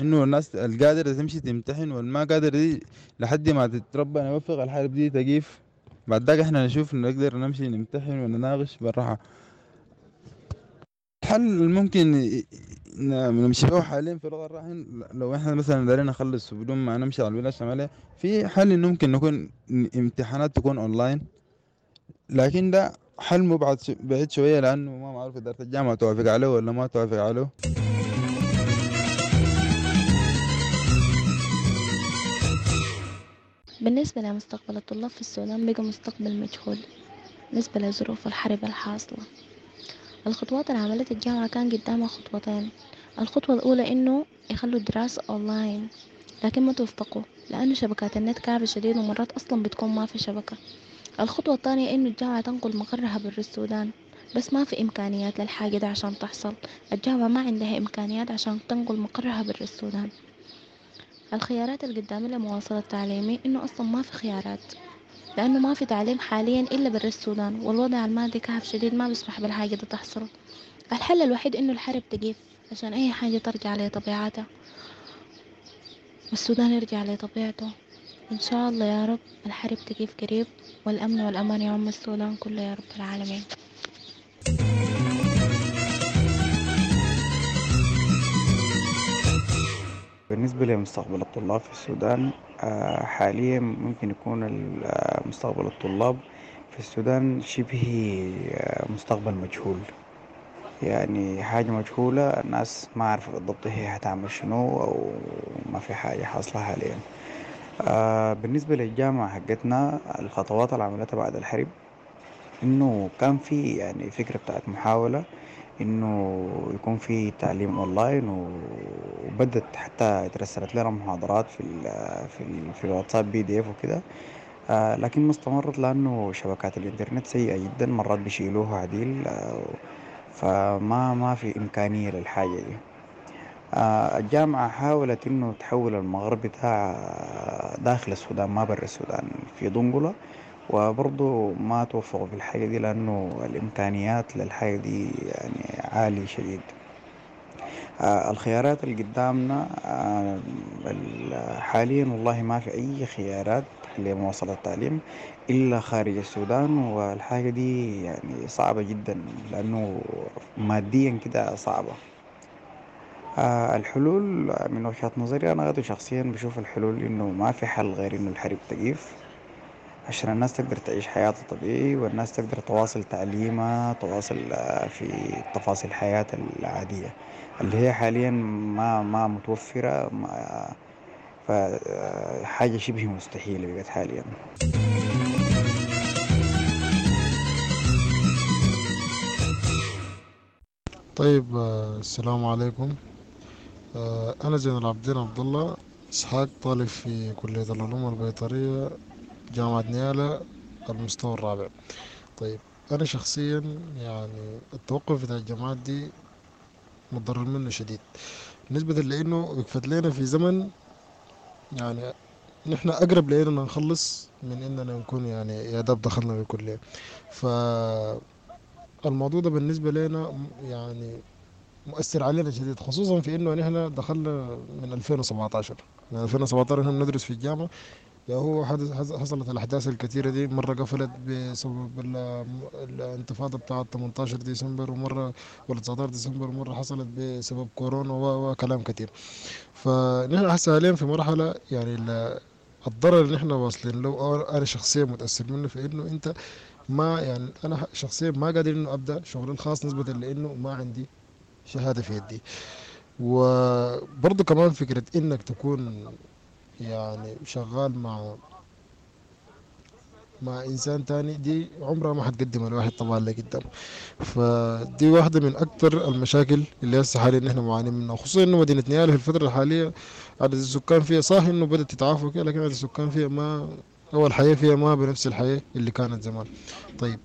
إنه الناس القادرة تمشي تمتحن والما قادرة دي لحد ما تتربى يوفق الحرب دي تقيف، بعد ذاك احنا نشوف نقدر نمشي نمتحن ونناقش بالراحة. الحل الممكن نمشي به حاليا في الوضع الراهن، لو احنا مثلا دارين نخلص بدون ما نمشي على الولاية الشمالية، في حل انه ممكن نكون امتحانات تكون اونلاين، لكن ده حل مبعد بعيد شوية لأنه ما معروف إدارة الجامعة توافق عليه ولا ما توافق عليه. بالنسبة لمستقبل الطلاب في السودان بقى مستقبل مجهول بالنسبة لظروف الحرب الحاصلة. الخطوات اللي عملتها الجامعة كان قدامها خطوتين. الخطوة الأولى إنه يخلوا الدراسة أونلاين، لكن ما توفقوا لأنه شبكات النت كعبة شديد ومرات أصلا بتكون ما في شبكة. الخطوة الثانية إنه الجامعة تنقل مقرها برا السودان، بس ما في إمكانيات للحاجة دي عشان تحصل. الجامعة ما عندها إمكانيات عشان تنقل مقرها برا السودان. الخيارات اللي قدامي لمواصلة تعليمي إنه أصلا ما في خيارات، لأنه ما في تعليم حاليا إلا برا السودان، والوضع المادي كعب شديد ما بيسمح بالحاجة دي تحصل. الحل الوحيد إنه الحرب تقيف عشان أي حاجة ترجع لطبيعتها والسودان يرجع لطبيعته إن شاء الله يا رب. الحرب تقيف قريب والأمن والأمان يعم السودان كله يا رب العالمين. بالنسبة لمستقبل الطلاب في السودان، حاليا ممكن يكون مستقبل الطلاب في السودان شبه مستقبل مجهول، يعني حاجة مجهولة، الناس ما عارفة بالضبط هي هتعمل شنو أو ما في حاجة حاصلة حاليا. بالنسبة للجامعة حقتنا، الخطوات اللي عملتها بعد الحرب إنه كان في يعني فكرة بتاعت محاولة إنه يكون في تعليم أونلاين، وبدت حتى اترسلت لنا محاضرات في الواتساب PDF وكده، لكن ما استمرت لأنه شبكات الإنترنت سيئة جدا، مرات بيشيلوها عديل، فما ما في إمكانية للحاجة دي. الجامعة حاولت إنه تحول المغرب بتاع داخل السودان ما برا السودان في دنقلة، وبرضه ما توفقوا في الحاجة دي لأنه الإمكانيات للحاجة دي يعني عالية شديد. الخيارات اللي قدامنا حاليا والله ما في أي خيارات لمواصلة التعليم إلا خارج السودان، والحاجة دي يعني صعبة جدا لأنه ماديا كده صعبة. الحلول من وجهة نظري أنا غير شخصيا بشوف الحلول إنه ما في حل غير إنه الحرب تقيف عشان الناس تقدر تعيش حياتها طبيعي، والناس تقدر تواصل تعليمها، تواصل في تفاصيل حياتها العادية اللي هي حاليا ما متوفرة، فحاجة شبه مستحيلة بقت حاليا. طيب، السلام عليكم. أنا زين العابدين عبد الله إسحاق، طالب في كلية العلوم البيطرية جامعة نيالا المستوى الرابع. طيب، أنا شخصيا يعني التوقف بتاع الجامعات دي متضرر منه شديد، بالنسبة لأنه وقفت لنا في زمن يعني نحن أقرب لأننا نخلص من إننا نكون يعني يا داب دخلنا الكلية. فالموضوع ده بالنسبة لنا يعني مؤثر علينا شديد، خصوصا في إنه نحن دخلنا من 2017، من 2017 نحن بندرس في الجامعة. يا هو حصلت الأحداث الكثيرة دي، مرة قفلت بسبب الانتفاضة بتاعة 18 ديسمبر، ومرة ولا 19 ديسمبر، ومرة حصلت بسبب كورونا وكلام كثير. فنحن هسه حاليا في مرحلة يعني الضرر اللي نحن واصلين له، أنا شخصيا متأثر منه في إنه أنت ما يعني أنا شخصيا ما قادر إنه أبدأ شغلي الخاص نسبة لإنه ما عندي شهادة في يدي. وبرضه كمان فكرة إنك تكون يعني شغال مع إنسان تاني دي عمرها ما حتقدم الواحد طبعا لقدام. فدي واحدة من أكثر المشاكل اللي هسه حاليا نحن معانين منها، خصوصا إنه مدينة نيالا في الفترة الحالية عدد السكان فيها صح إنه بدأت تتعافى وكده، لكن عدد السكان فيها ما أو الحياة فيها ما بنفس الحياة اللي كانت زمان. طيب،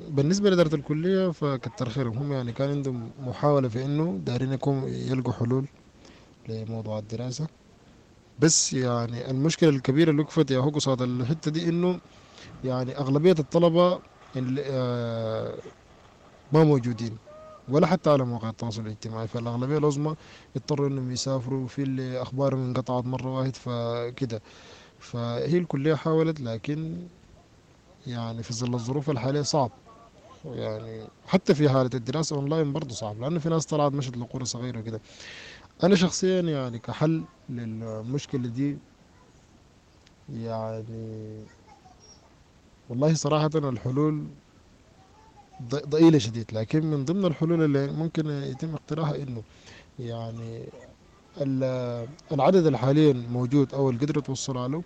بالنسبة لإدارة الكلية فكتر خيرهم، هم يعني كان عندهم محاولة في إنه دارين يكون يلقوا حلول لموضوع الدراسة، بس يعني المشكلة الكبيرة اللي وقفت يا هو قصاد الحتة دي إنه يعني أغلبية الطلبة ما موجودين ولا حتى على مواقع التواصل الاجتماعي. فالأغلبية العظمى اضطروا إنهم يسافروا، في اللي أخبارهم انقطعت مرة واحد فكده. فهي الكلية حاولت، لكن يعني في ظل الظروف الحالية صعب، يعني حتى في حالة الدراسة أونلاين برضو صعب، لأنه في ناس طلعت مشت لقرى صغيرة وكده. أنا شخصيا يعني كحل للمشكلة دي يعني والله صراحة الحلول ضئيلة شديد، لكن من ضمن الحلول اللي ممكن يتم اقتراحها إنه يعني العدد اللي حاليا موجود أو اللي قدروا يتوصلوا له،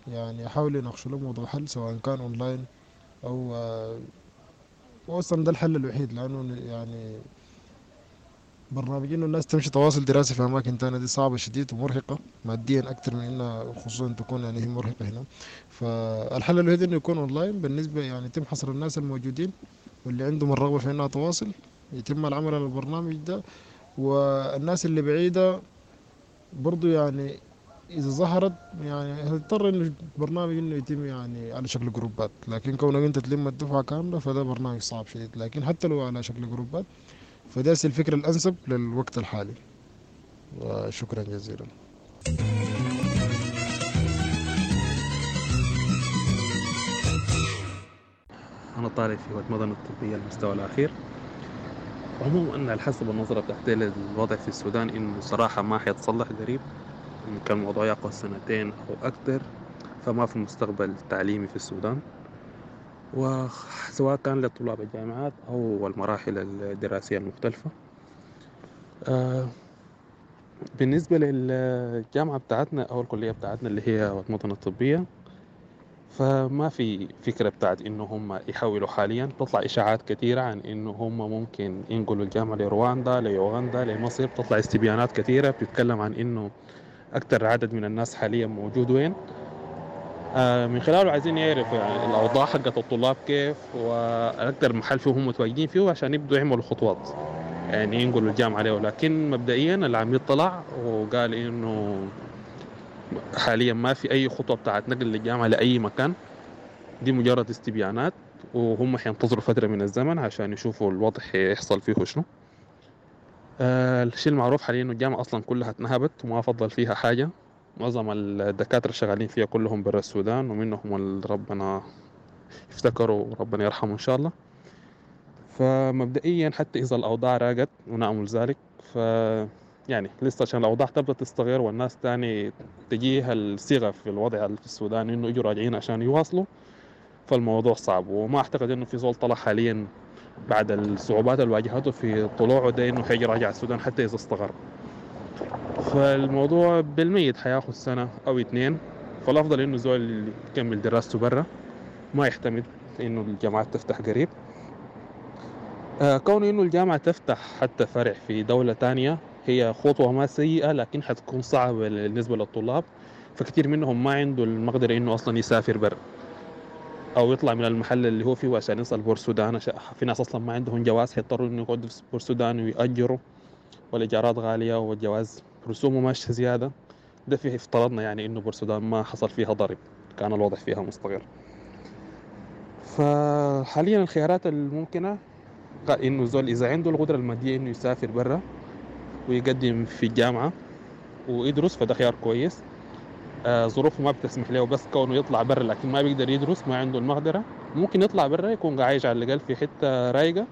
يعني يحاولوا يناقشوا له موضوع حل، سواء كان أونلاين أو وأصلا ده الحل الوحيد، لأنه يعني برنامج إنه الناس تمشي تواصل دراسة في أماكن تانية دي صعبة شديد ومرهقة ماديا أكتر من إنها خصوصا تكون يعني هي مرهقة هنا. فالحل الوحيد إنه يكون أونلاين بالنسبة يعني يتم حصر الناس الموجودين واللي عندهم الرغبة في إنها تواصل، يتم العمل على البرنامج ده. والناس اللي بعيدة برضو يعني إذا ظهرت يعني هتضطر إنه البرنامج إنه يتم يعني على شكل جروبات، لكن كونك أنت تلم الدفعة كاملة فده برنامج صعب شديد، لكن حتى لو على شكل جروبات فده الفكرة الأنسب للوقت الحالي. وشكرا جزيلا. أنا طالب في واد مدني الطبية المستوى الأخير. عموما على حسب النظرة بتاعتي للوضع في السودان إنه صراحة ما حيتصلح قريب، ممكن الموضوع ياخذ سنتين أو أكتر، فما في مستقبل تعليمي في السودان، وسواء كان لطلاب الجامعات أو المراحل الدراسية المختلفة. بالنسبة للجامعة بتاعتنا أو الكلية بتاعتنا اللي هي واد مدني الطبية، فما في فكرة بتاعت إنه هم يحولوا حاليا. تطلع إشاعات كثيرة عن إنه هم ممكن ينقلوا الجامعة لرواندا، ليوغندا، لمصر. بتطلع استبيانات كثيرة بتتكلم عن إنه أكثر عدد من الناس حاليا موجود وين، من خلاله عايزين يعرفوا يعني الأوضاع حقت الطلاب كيف وأكثر محل فيه هم متواجدين فيه عشان يبدوا يعملوا خطوات يعني ينقلوا الجامعة له. لكن مبدئيا العميد طلع وقال إنه حاليا ما في أي خطوة بتاعت نقل للجامعة لأي مكان، دي مجرد استبيانات، وهم حينتظروا فترة من الزمن عشان يشوفوا الوضع يحصل فيه شنو. الشيء المعروف حاليا إنه الجامعة أصلا كلها اتنهبت وما فضل فيها حاجة، معظم الدكاترة شغالين فيها كلهم برا السودان، ومنهم اللي ربنا يفتكروا وربنا يرحمه إن شاء الله. فمبدئيا حتى إذا الأوضاع راقت ونأمل ذلك، ف يعني لسه عشان الأوضاع تبدأ تستغير والناس تاني تجيها الصيغة في الوضع في السودان إنه يجوا راجعين عشان يواصلوا، فالموضوع صعب. وما أعتقد إنه في زول طلع حاليا بعد الصعوبات اللي واجهته في طلوعه ده إنه حيجي راجع السودان حتى إذا استقر. فالموضوع بالميت حياخد سنة أو 2، فالأفضل إنه زول يكمل دراسته برا، ما يعتمد إنه الجامعات تفتح قريب. كون إنه الجامعة تفتح حتى فرع في دولة تانية هي خطوة ما سيئة، لكن حتكون صعبة بالنسبة للطلاب، فكثير منهم ما عنده المقدرة إنه أصلا يسافر برا أو يطلع من المحل اللي هو فيه عشان يصل بورسودان. في ناس أصلا ما عندهم جواز حيضطروا إنه يقعدوا في بورسودان ويأجروا، والإيجارات غالية والجواز رسومه ماشية زيادة. ده فيه افترضنا يعني إنه بورسودان ما حصل فيها ضرب، كان الوضع فيها مستقر. فحاليا الخيارات الممكنة إنه زول إذا عنده القدرة المادية إنه يسافر برا ويقدم في الجامعة ويدرس فده خيار كويس. ظروفه ما بتسمح له بس كونه يطلع برا لكن ما بيقدر يدرس، ما عنده المقدرة، ممكن يطلع برا يكون عايش على الأقل في حتة رايقة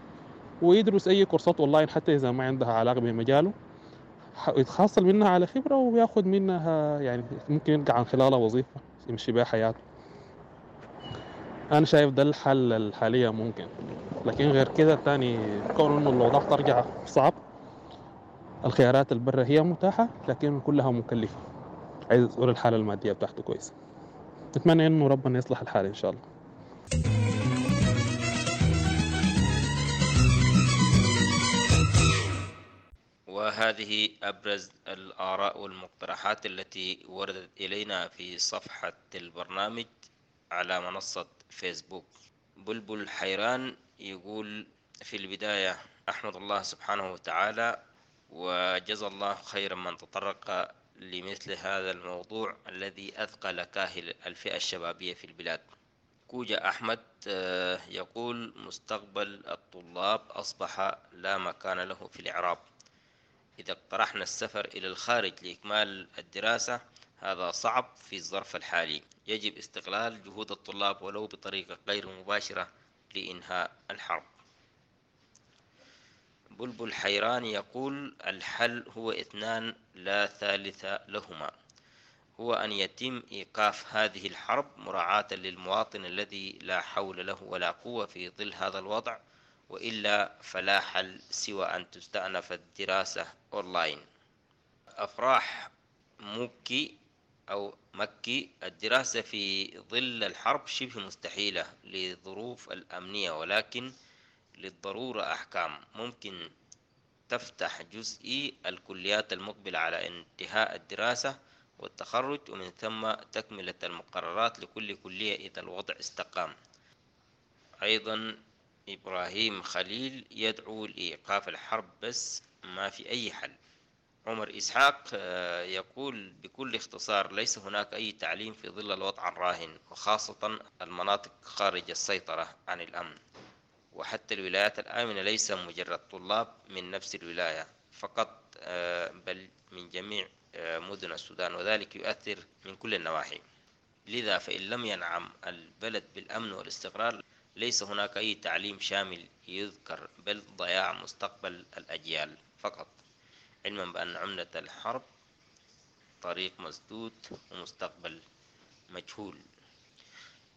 ويدرس أي كورسات أونلاين حتى إذا ما عندها علاقة بمجاله، يتحصل منها على خبرة وياخد منها يعني ممكن يلقى عن خلالها وظيفة يمشي بها حياته. أنا شايف ده الحل الحالية ممكن، لكن غير كده تاني كون إنه الأوضاع ترجع صعب. الخيارات البرة هي متاحة لكن كلها مكلفة، عايز أقول الحالة المادية بتاعته كويسة. نتمنى إنه ربنا يصلح الحال إن شاء الله. وهذه أبرز الآراء والمقترحات التي وردت إلينا في صفحة البرنامج على منصة فيسبوك. بلبل حيران يقول في البداية: أحمد الله سبحانه وتعالى وجزى الله خيرا من تطرق لمثل هذا الموضوع الذي أثقل كاهل الفئة الشبابية في البلاد. كوجا أحمد يقول مستقبل الطلاب أصبح لا مكان له في الإعراب. إذا اقترحنا السفر إلى الخارج لإكمال الدراسة هذا صعب في الظرف الحالي. يجب استغلال جهود الطلاب ولو بطريقة غير مباشرة لإنهاء الحرب. بلبل حيران يقول الحل هو اثنان لا ثالث لهما، هو أن يتم إيقاف هذه الحرب مراعاة للمواطن الذي لا حول له ولا قوة في ظل هذا الوضع، وإلا فلا حل سوى أن تستأنف الدراسة أونلاين. أفراح مكي أو مكي: الدراسة في ظل الحرب شبه مستحيلة لظروف الأمنية، ولكن للضرورة أحكام. ممكن تفتح جزئي الكليات المقبلة على انتهاء الدراسة والتخرج، ومن ثم تكملة المقررات لكل كلية إذا الوضع استقام. أيضا إبراهيم خليل يدعو لإيقاف الحرب بس ما في أي حل. عمر إسحاق يقول بكل اختصار ليس هناك أي تعليم في ظل الوضع الراهن، وخاصة المناطق خارج السيطرة عن الأمن، وحتى الولايات الآمنة ليس مجرد طلاب من نفس الولاية فقط، بل من جميع مدن السودان، وذلك يؤثر من كل النواحي. لذا فإن لم ينعم البلد بالأمن والاستقرار ليس هناك أي تعليم شامل يذكر، بل ضياع مستقبل الأجيال فقط، علما بأن عملة الحرب طريق مسدود ومستقبل مجهول.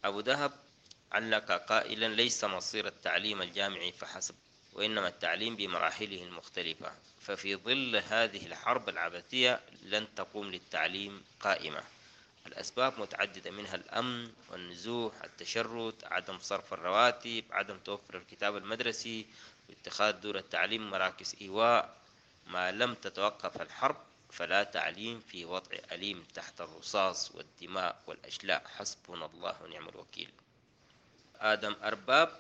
أبو دهب علق قائلا ليس مصير التعليم الجامعي فحسب، وإنما التعليم بمراحله المختلفة، ففي ظل هذه الحرب العبثية لن تقوم للتعليم قائمة. الأسباب متعددة، منها الأمن والنزوح، التشرد، عدم صرف الرواتب، عدم توفر الكتاب المدرسي، واتخاذ دور التعليم مراكز إيواء. ما لم تتوقف الحرب فلا تعليم في وضع أليم تحت الرصاص والدماء والأشلاء. حسبنا الله ونعم الوكيل. آدم أرباب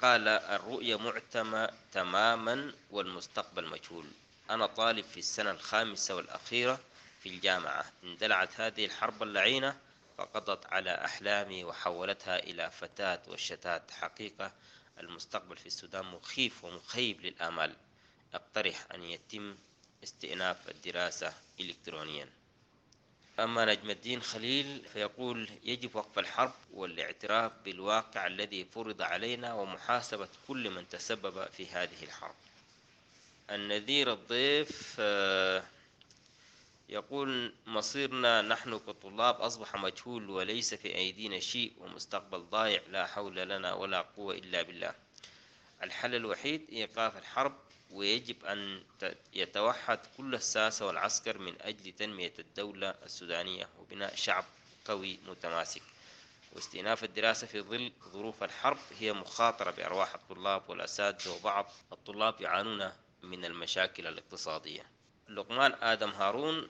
قال الرؤية معتمة تماما والمستقبل مجهول. أنا طالب في السنة الخامسة والأخيرة في الجامعة، اندلعت هذه الحرب اللعينة فقضت على أحلامي وحولتها إلى فتاة والشتات. حقيقة المستقبل في السودان مخيف ومخيب للآمال. أقترح أن يتم استئناف الدراسة إلكترونيا. أما نجم الدين خليل فيقول يجب وقف الحرب والاعتراف بالواقع الذي فرض علينا ومحاسبة كل من تسبب في هذه الحرب. النذير الضيف يقول مصيرنا نحن كطلاب أصبح مجهول وليس في أيدينا شيء ومستقبل ضايع، لا حول لنا ولا قوة إلا بالله. الحل الوحيد إيقاف الحرب، ويجب أن يتوحد كل الساسة والعسكر من أجل تنمية الدولة السودانية وبناء شعب قوي متماسك. واستئناف الدراسة في ظل ظروف الحرب هي مخاطرة بأرواح الطلاب والأساتذة، وبعض الطلاب يعانون من المشاكل الاقتصادية. لقمان آدم هارون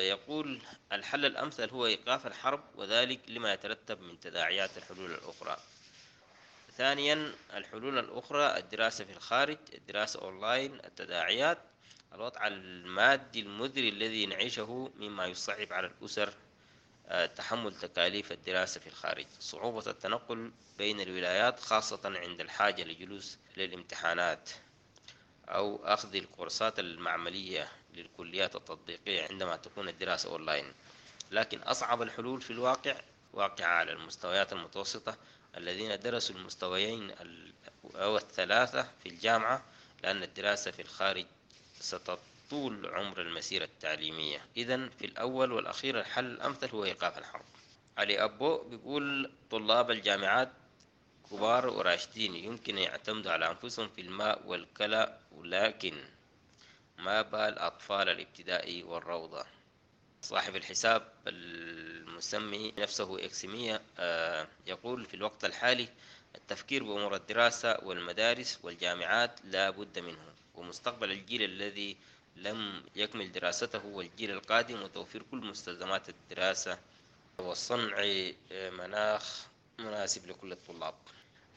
يقول الحل الأمثل هو إيقاف الحرب، وذلك لما يترتب من تداعيات الحلول الأخرى. ثانيا الحلول الأخرى الدراسة في الخارج، الدراسة أونلاين، التداعيات، الوضع المادي المزري الذي نعيشه مما يصعب على الأسر تحمل تكاليف الدراسة في الخارج، صعوبة التنقل بين الولايات خاصة عند الحاجة لجلوس للامتحانات أو أخذ الكورسات المعملية للكليات التطبيقية عندما تكون الدراسة أونلاين. لكن أصعب الحلول في الواقع واقعة على المستويات المتوسطة الذين درسوا المستويين أو الثلاثة في الجامعة، لأن الدراسة في الخارج ستطول عمر المسيرة التعليمية. إذن في الأول والأخير الحل الأمثل هو إيقاف الحرب. علي أبو بيقول طلاب الجامعات كبار وراشدين يمكن أن يعتمدوا على أنفسهم في الماء والكلى، ولكن ما بال أطفال الابتدائي والروضة. صاحب الحساب المسمي نفسه إكسمية يقول في الوقت الحالي التفكير بأمور الدراسة والمدارس والجامعات لا بد منه، ومستقبل الجيل الذي لم يكمل دراسته والجيل القادم، وتوفير كل مستلزمات الدراسة وصنع مناخ مناسب لكل الطلاب.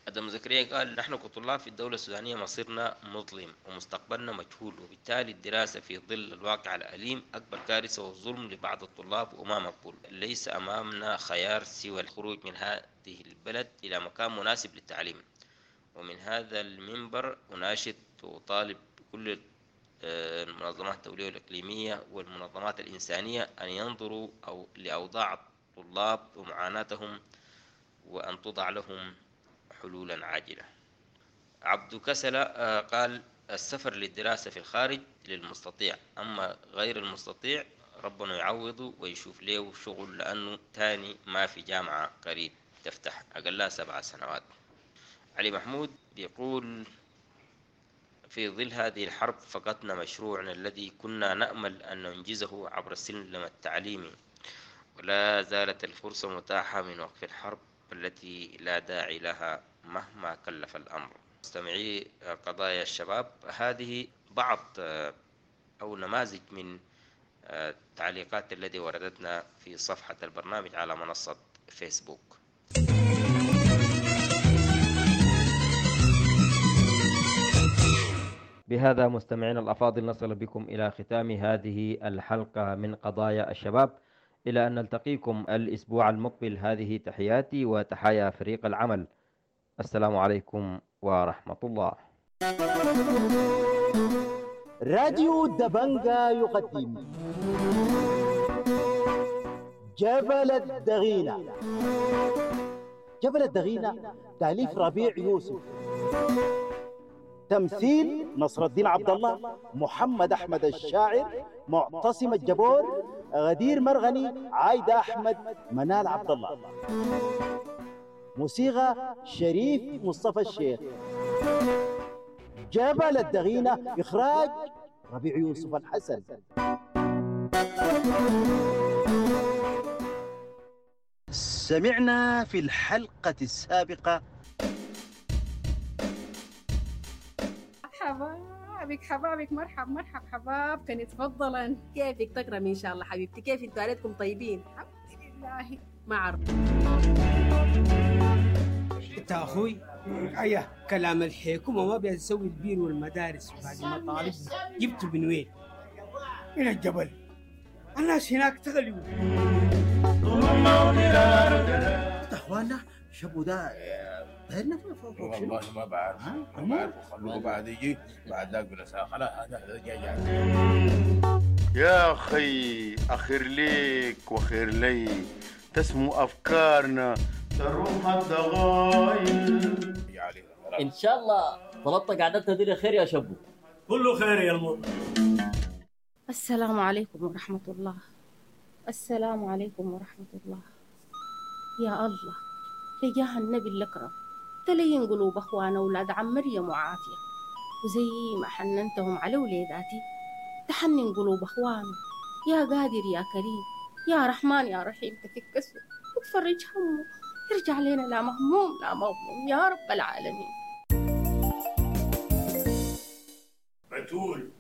أدم زكريا قال: نحن كطلاب في الدولة السودانية مصيرنا مظلم ومستقبلنا مجهول، وبالتالي الدراسة في ظل الواقع الأليم أكبر كارثة وظلم لبعض الطلاب وما مقبول. ليس أمامنا خيار سوى الخروج من هذه البلد إلى مكان مناسب للتعليم. ومن هذا المنبر أناشد وأطالب كل المنظمات الدولية والإقليمية والمنظمات الإنسانية أن ينظروا أو لأوضاع الطلاب ومعاناتهم وأن توضع لهم حلولا عاجلة. عبد كسلة قال: السفر للدراسة في الخارج للمستطيع، أما غير المستطيع ربنا يعوضه ويشوف له شغل، لأنه تاني ما في جامعة قريب تفتح أقلها 7 سنوات. علي محمود بيقول: في ظل هذه الحرب فقدنا مشروعنا الذي كنا نأمل أن ننجزه عبر السلم التعليمي، ولا زالت الفرصة متاحة من وقف الحرب التي لا داعي لها مهما كلف الأمر. مستمعي قضايا الشباب، هذه بعض أو نماذج من التعليقات التي وردتنا في صفحة البرنامج على منصة فيسبوك. بهذا مستمعينا الأفاضل نصل بكم إلى ختام هذه الحلقة من قضايا الشباب، إلى أن نلتقيكم الأسبوع المقبل. هذه تحياتي وتحايا فريق العمل. السلام عليكم ورحمة الله. راديو دبنجا يقدم جبل الدغينة. جبل الدغينة تأليف ربيع يوسف، تمثيل نصر الدين عبد الله، محمد أحمد الشاعر، معتصم الجبور، غدير مرغني، عايدة أحمد، منال عبد الله. موسيقى شريف مصطفى الشيخ. جبل الدغينة إخراج ربيع يوسف الحسن. سمعنا في الحلقة السابقة. حبابك حبابك، مرحب مرحب حباب، كان تفضلا. كيفك تكرمي ان شاء الله حبيبتي؟ كيف انتوا عليكم طيبين؟ الحمد لله. ما اعرف انت اخوي ايه كلام الحكومه ما بيسوي البير والمدارس وبعد مطالبنا جبته من وين؟ من الجبل. الناس هناك تغلوا. اخوانا شبوا ده والله ما بعرف، ما بعرف. خلوه بعد يجي بعد ذاك بلا خلاص هذا جاي. يا اخي اخير ليك وخير لي تسمو افكارنا تروح الضغايل. ان شاء الله طلبت قعدتنا دي خير يا شبو. كله خير يا المر. السلام عليكم ورحمة الله. السلام عليكم ورحمة الله. يا الله تجاه النبي الأكرم تلين قلوب أخوانا أولاد عم مريم وعافية، وزي ما حننتهم على وليداتي تحنن قلوب أخوانه. يا قادر يا كريم يا رحمن يا رحيم، تفك وتفرج همه، يرجع لنا لا مهموم لا مغموم يا رب العالمين. بتول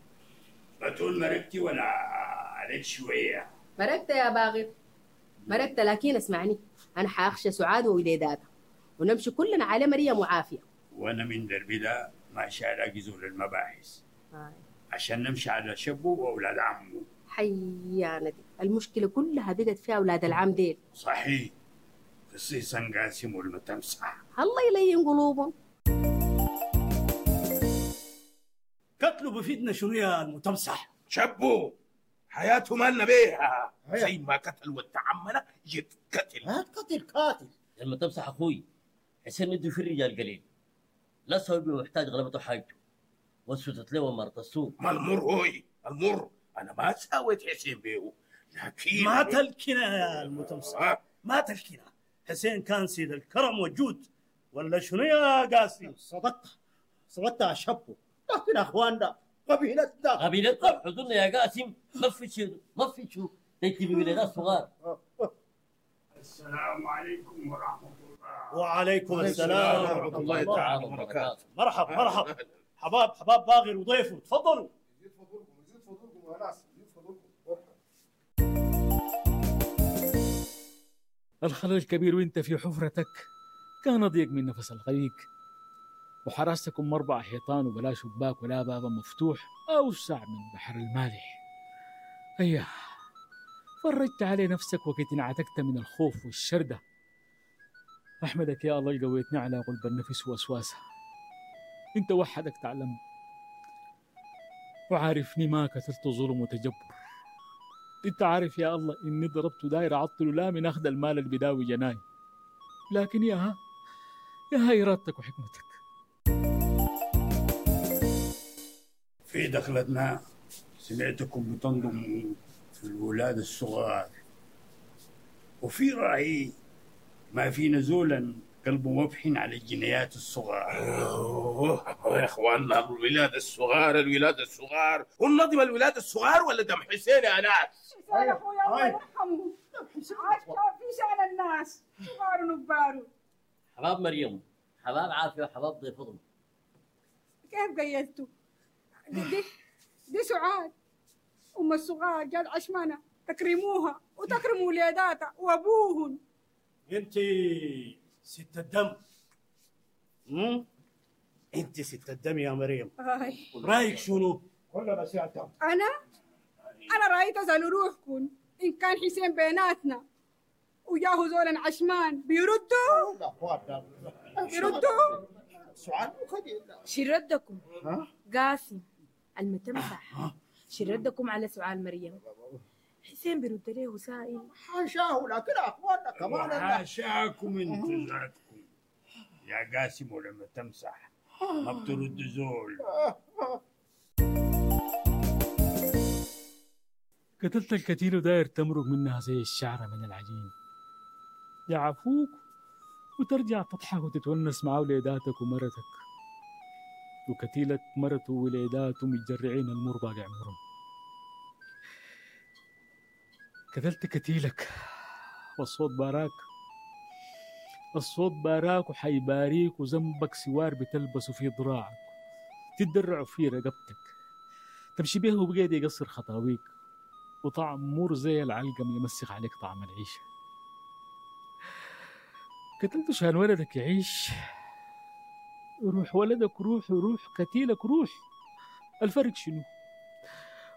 بتول مرقتي ولا عليك شوية؟ مرقت يا باغر مرقت، لكن اسمعني، أنا حأخشى سعاد ووليداتها ونمشي كلنا على مريم وعافية. وأنا من دربي ده ماشي ألاقي زول المباحث عشان نمشي على شبه وأولاد عمه. حيانا دي المشكلة كلها بقت فيها أولاد العم ديل. صحيح، خصيصا قاسم والمتمسح. الله يلين قلوبهم. قتله بفيدنا شنو يا المتمسح؟ شبه حياته مالنا بيها، زي ما قتل وتعمنا يتقتل. ما تقتل قاتل المتمسح اخوي حسين عنده في الرجال قليل، لا سوي محتاج غلبته حاجته وسوتت له مرت السوق. ما المر هوي المر، انا ما سويت حسين بيه، لكن ما تلكنا يا المتمسح ما تلكنا. حسين كان سيد الكرم والجود ولا شنو يا قاسم؟ صدقت صدقت يا شبو، لكن اخواننا قبيلتنا قبيلتنا حضورنا يا قاسم ما في شيء ما في شو تكتب ولادات صغار. السلام عليكم ورحمة الله. وعليكم السلام ورحمة الله تعالى وبركاته. مرحب مرحب حباب حباب باغر وضيفه، تفضلوا. يزيد فضلكم يزيد فضلكم يا ناس، يزيد فضلكم. الخلل الكبير وانت في حفرتك كان أضيق من نفس الغريق. وحراستكم 4 حيطان وبلا شباك ولا بابا مفتوح، أوسع من بحر المالح. أيه، فرجت علي نفسك وقت انعتقت من الخوف والشردة. أحمدك يا الله قويتني على غلب النفس ووسواسها. انت وحدك تعلم وعارفني ما كثرت ظلم وتجبر. انت عارف يا الله اني ضربت داير عطل لا من اخذ المال اللي بداوي جناي، لكن يا ها ارادتك وحكمتك. في دخلتنا سمعتكم بتنضموا في الولاد الصغار، وفي رأيي ما في نزولا قلبه مبحن على الجنيات الصغار. يا اخواننا الولاد الصغار، الولاد الصغار، والنظم الولاد الصغار ولا دم حسين يا ناس؟ حسين اخويا الله يرحمه، عاش في شان الناس صغار ونبار. حباب مريم، حباب عافيه، وحباب ضيف. كيف قيلتوا؟ دي سعاد ام الصغار، جات عشمانه تكرموها وتكرموا وليداتها وابوهن. انت ست الدم، انت ست الدم يا مريم. رايك شنو؟ كلنا ست الدم. انا رايي تسالوا روحكم ان كان حسين بيناتنا وجاهو زولا عشمان بيردوا؟ بيردوا؟ سؤال شردكم قاسم المتمسح، شردكم على سؤال مريم. حسين بيرد له سائل حاشاه، لكن اخواننا كمان حاشاكم انتوا ذاتكم يا قاسم، ولما تمسح ما بترد زول. قتلت الكتيل وداير تمرق منها زي الشعرة من العجين. يعفوك وترجع تضحك وتتونس مع وليداتك ومرتك، وكتيلك مرته ووليداته متجرعين المر باقي عمرهم. قتلت كتيلك والصوت باراك، الصوت باراك وحيباريك، وذنبك سوار بتلبسه في ذراعك، تدرعه في رقبتك، تمشي به وبقيت يقصر خطاويك، وطعم مر زي العلقم يمسخ عليك طعم العيشة. قتلت شان ولدك يعيش، روح ولدك روح، وروح كتيلك روح. الفرق شنو؟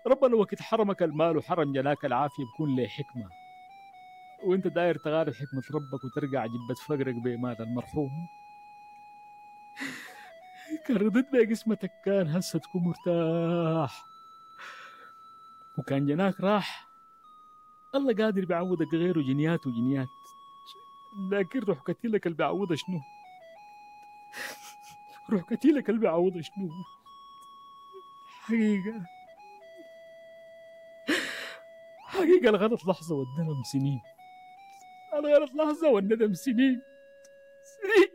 ربنا وقت حرمك المال وحرم جناك العافية بكون له حكمة، وانت داير تغالب حكمة ربك وترجع جبة فقرك بمال المرحوم. كان رضيت بقسمتك كان هسه تكون مرتاح، وكان جناك راح الله قادر بيعوضك غيره جنيات وجنيات، لكن روح كتيلك اللي بيعوضها شنو؟ روح كتيلك اللي بيعوضها شنو؟ حقيقة حقيقة الغلط لحظة والندم سنين، الغلط لحظة والندم سنين سنين.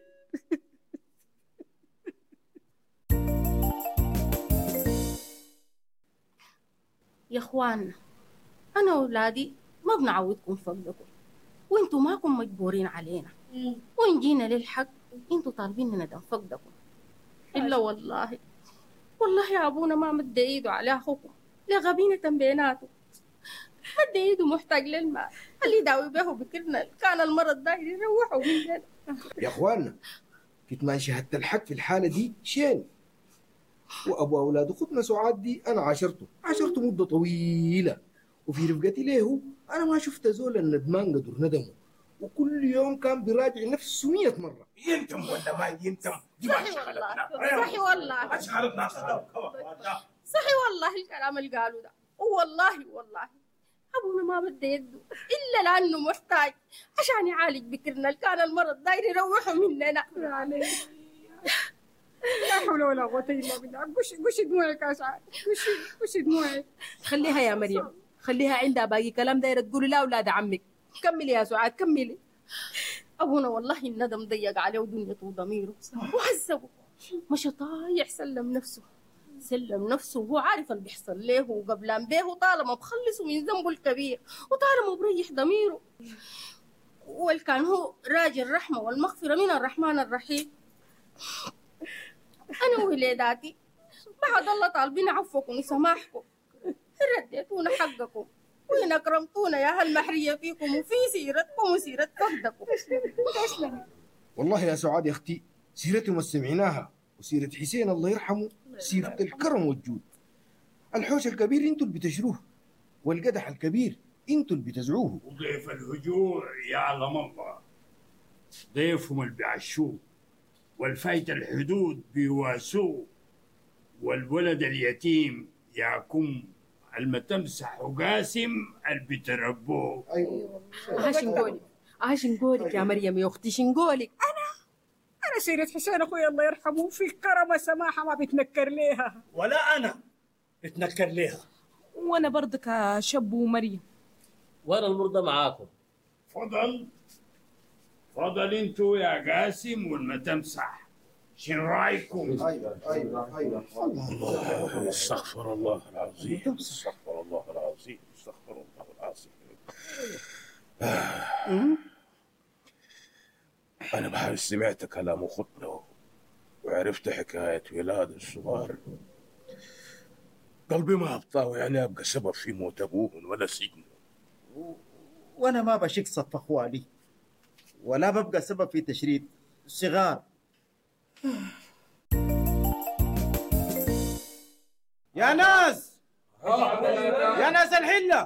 يا اخوان، انا واولادي ما بنعودكم فقدكم، وانتوا ماكم مجبورين علينا، وان جينا للحق انتوا طالبين ندم فقدكم. الا والله والله يا ابونا ما مد ايده على اخوكم لغبينة بيناته، حد ايده محتاج للمال اللي يداوي به بكرنا كان المرض داير يروحه مننا. يا اخواننا كتمان شهادة الحق في الحالة دي شين، وابو اولاد اختنا سعاد دي انا عاشرته مدة طويلة، وفي رفقتي له انا ما شفت زول الندمان قدر ندمه، وكل يوم كان بيراجع نفسه 100 مرة. ينتم ولا ما ينتم دي ما شغلتنا. صحي والله، ما شغلتنا. صحي والله الكلام اللي قالوا ده، والله والله أبونا ما بده يده إلا لأنه محتاج عشان يعالج بكرنا اللي كان المرض داير يروحه مننا. لا حول ولا قوة إلا بالله. قشي دموعك يا سعاد، قشي دموعك. خليها يا مريم، خليها عندها باقي كلام دايرة تقولي لا أولاد عمك. كملي يا سعاد كملي. أبونا والله الندم ضيق عليه ودنيته وضميره وعذبه، مشى طايع سلم نفسه، سلم نفسه وهو عارف اللي بيحصل له وقبلان به، طالما بخلصه من ذنبه الكبير وطالما بريح ضميره، والكان هو راجل الرحمة والمغفرة من الرحمن الرحيم. أنا ووليداتي بعد الله طالبين عفوكم وسماحكم، رديتونا حقكم وين أكرمتونا يا هالمحرية فيكم وفي سيرتكم وسيرة فقدكم. تسلمي والله يا سعاد يا اختي، سيرتهم ما سمعناها، وسيرة حسين الله يرحمه سيرة الكرم والجود. الحوش الكبير انتوا اللي بتشروه، والقدح الكبير انتوا اللي بتزعوه. وضيف الهجوع يعلم الله، ضيفهم اللي بيعشوه، والفايت الحدود بيواسوه، والولد اليتيم ياكم المتمسح وقاسم اللي بتربوه. ايوه. ها شنقولك، ها شنقولك يا مريم يا اختي، شنقولك؟ انا سيرة حسين اخوي الله يرحمه في كرمه سماحة ما بتنكر ليها. ولا انا بتنكر ليها. وانا برضك شب ومريم. وانا المرضى معاكم. فضل فضل انتوا يا قاسم والمتمسح، شن رايكم؟ ايوه ايوه ايوه. الله، استغفر الله العظيم، استغفر الله العظيم، استغفر الله العظيم. أنا بحال سمعت كلام أختنا وعرفت حكاية ولاد الصغار، قلبي ما أبطاه، يعني أبقى سبب في موت أبوهن ولا سجنه. وانا ما بشك صف اخوالي، ولا ببقى سبب في تشريد صغار. يا ناس، يا ناس الحلة،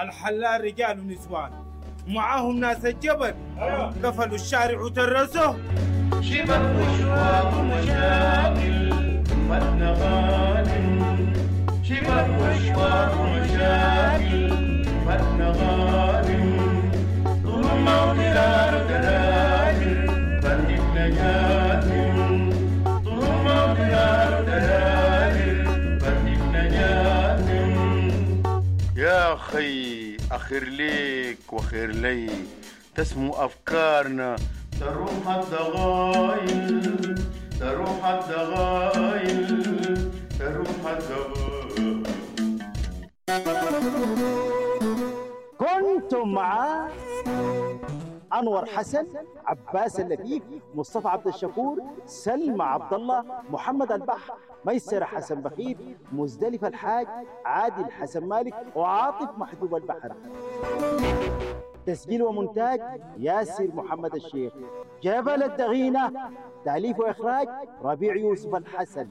الحلال رجال ونسوان ومعاهم ناس الجبل، قفلوا الشارع وترسوه. شبك وشواك ومشاكل فتنا غانم، شبك وشواك ومشاكل فتنا غانم، ظلم وضرار ودلائل فرقنا جاثم، ظلم وضرار ودلائل فرقنا جاثم. يا خي أخير ليك وخير لي، تسمو أفكارنا تروح الضغائن، تروح الضغائن، تروح الضغائن. كنتم مع أنور حسن، عباس اللفيف، مصطفى عبد الشكور، سلمى عبد الله، محمد البحر، ميسر حسن بخيت، مزدلفة الحاج، عادل حسن مالك، وعاطف محجوب البحر. تسجيل ومونتاج ياسر محمد الشيخ. جبل الدغينة، تأليف وإخراج ربيع يوسف الحسن.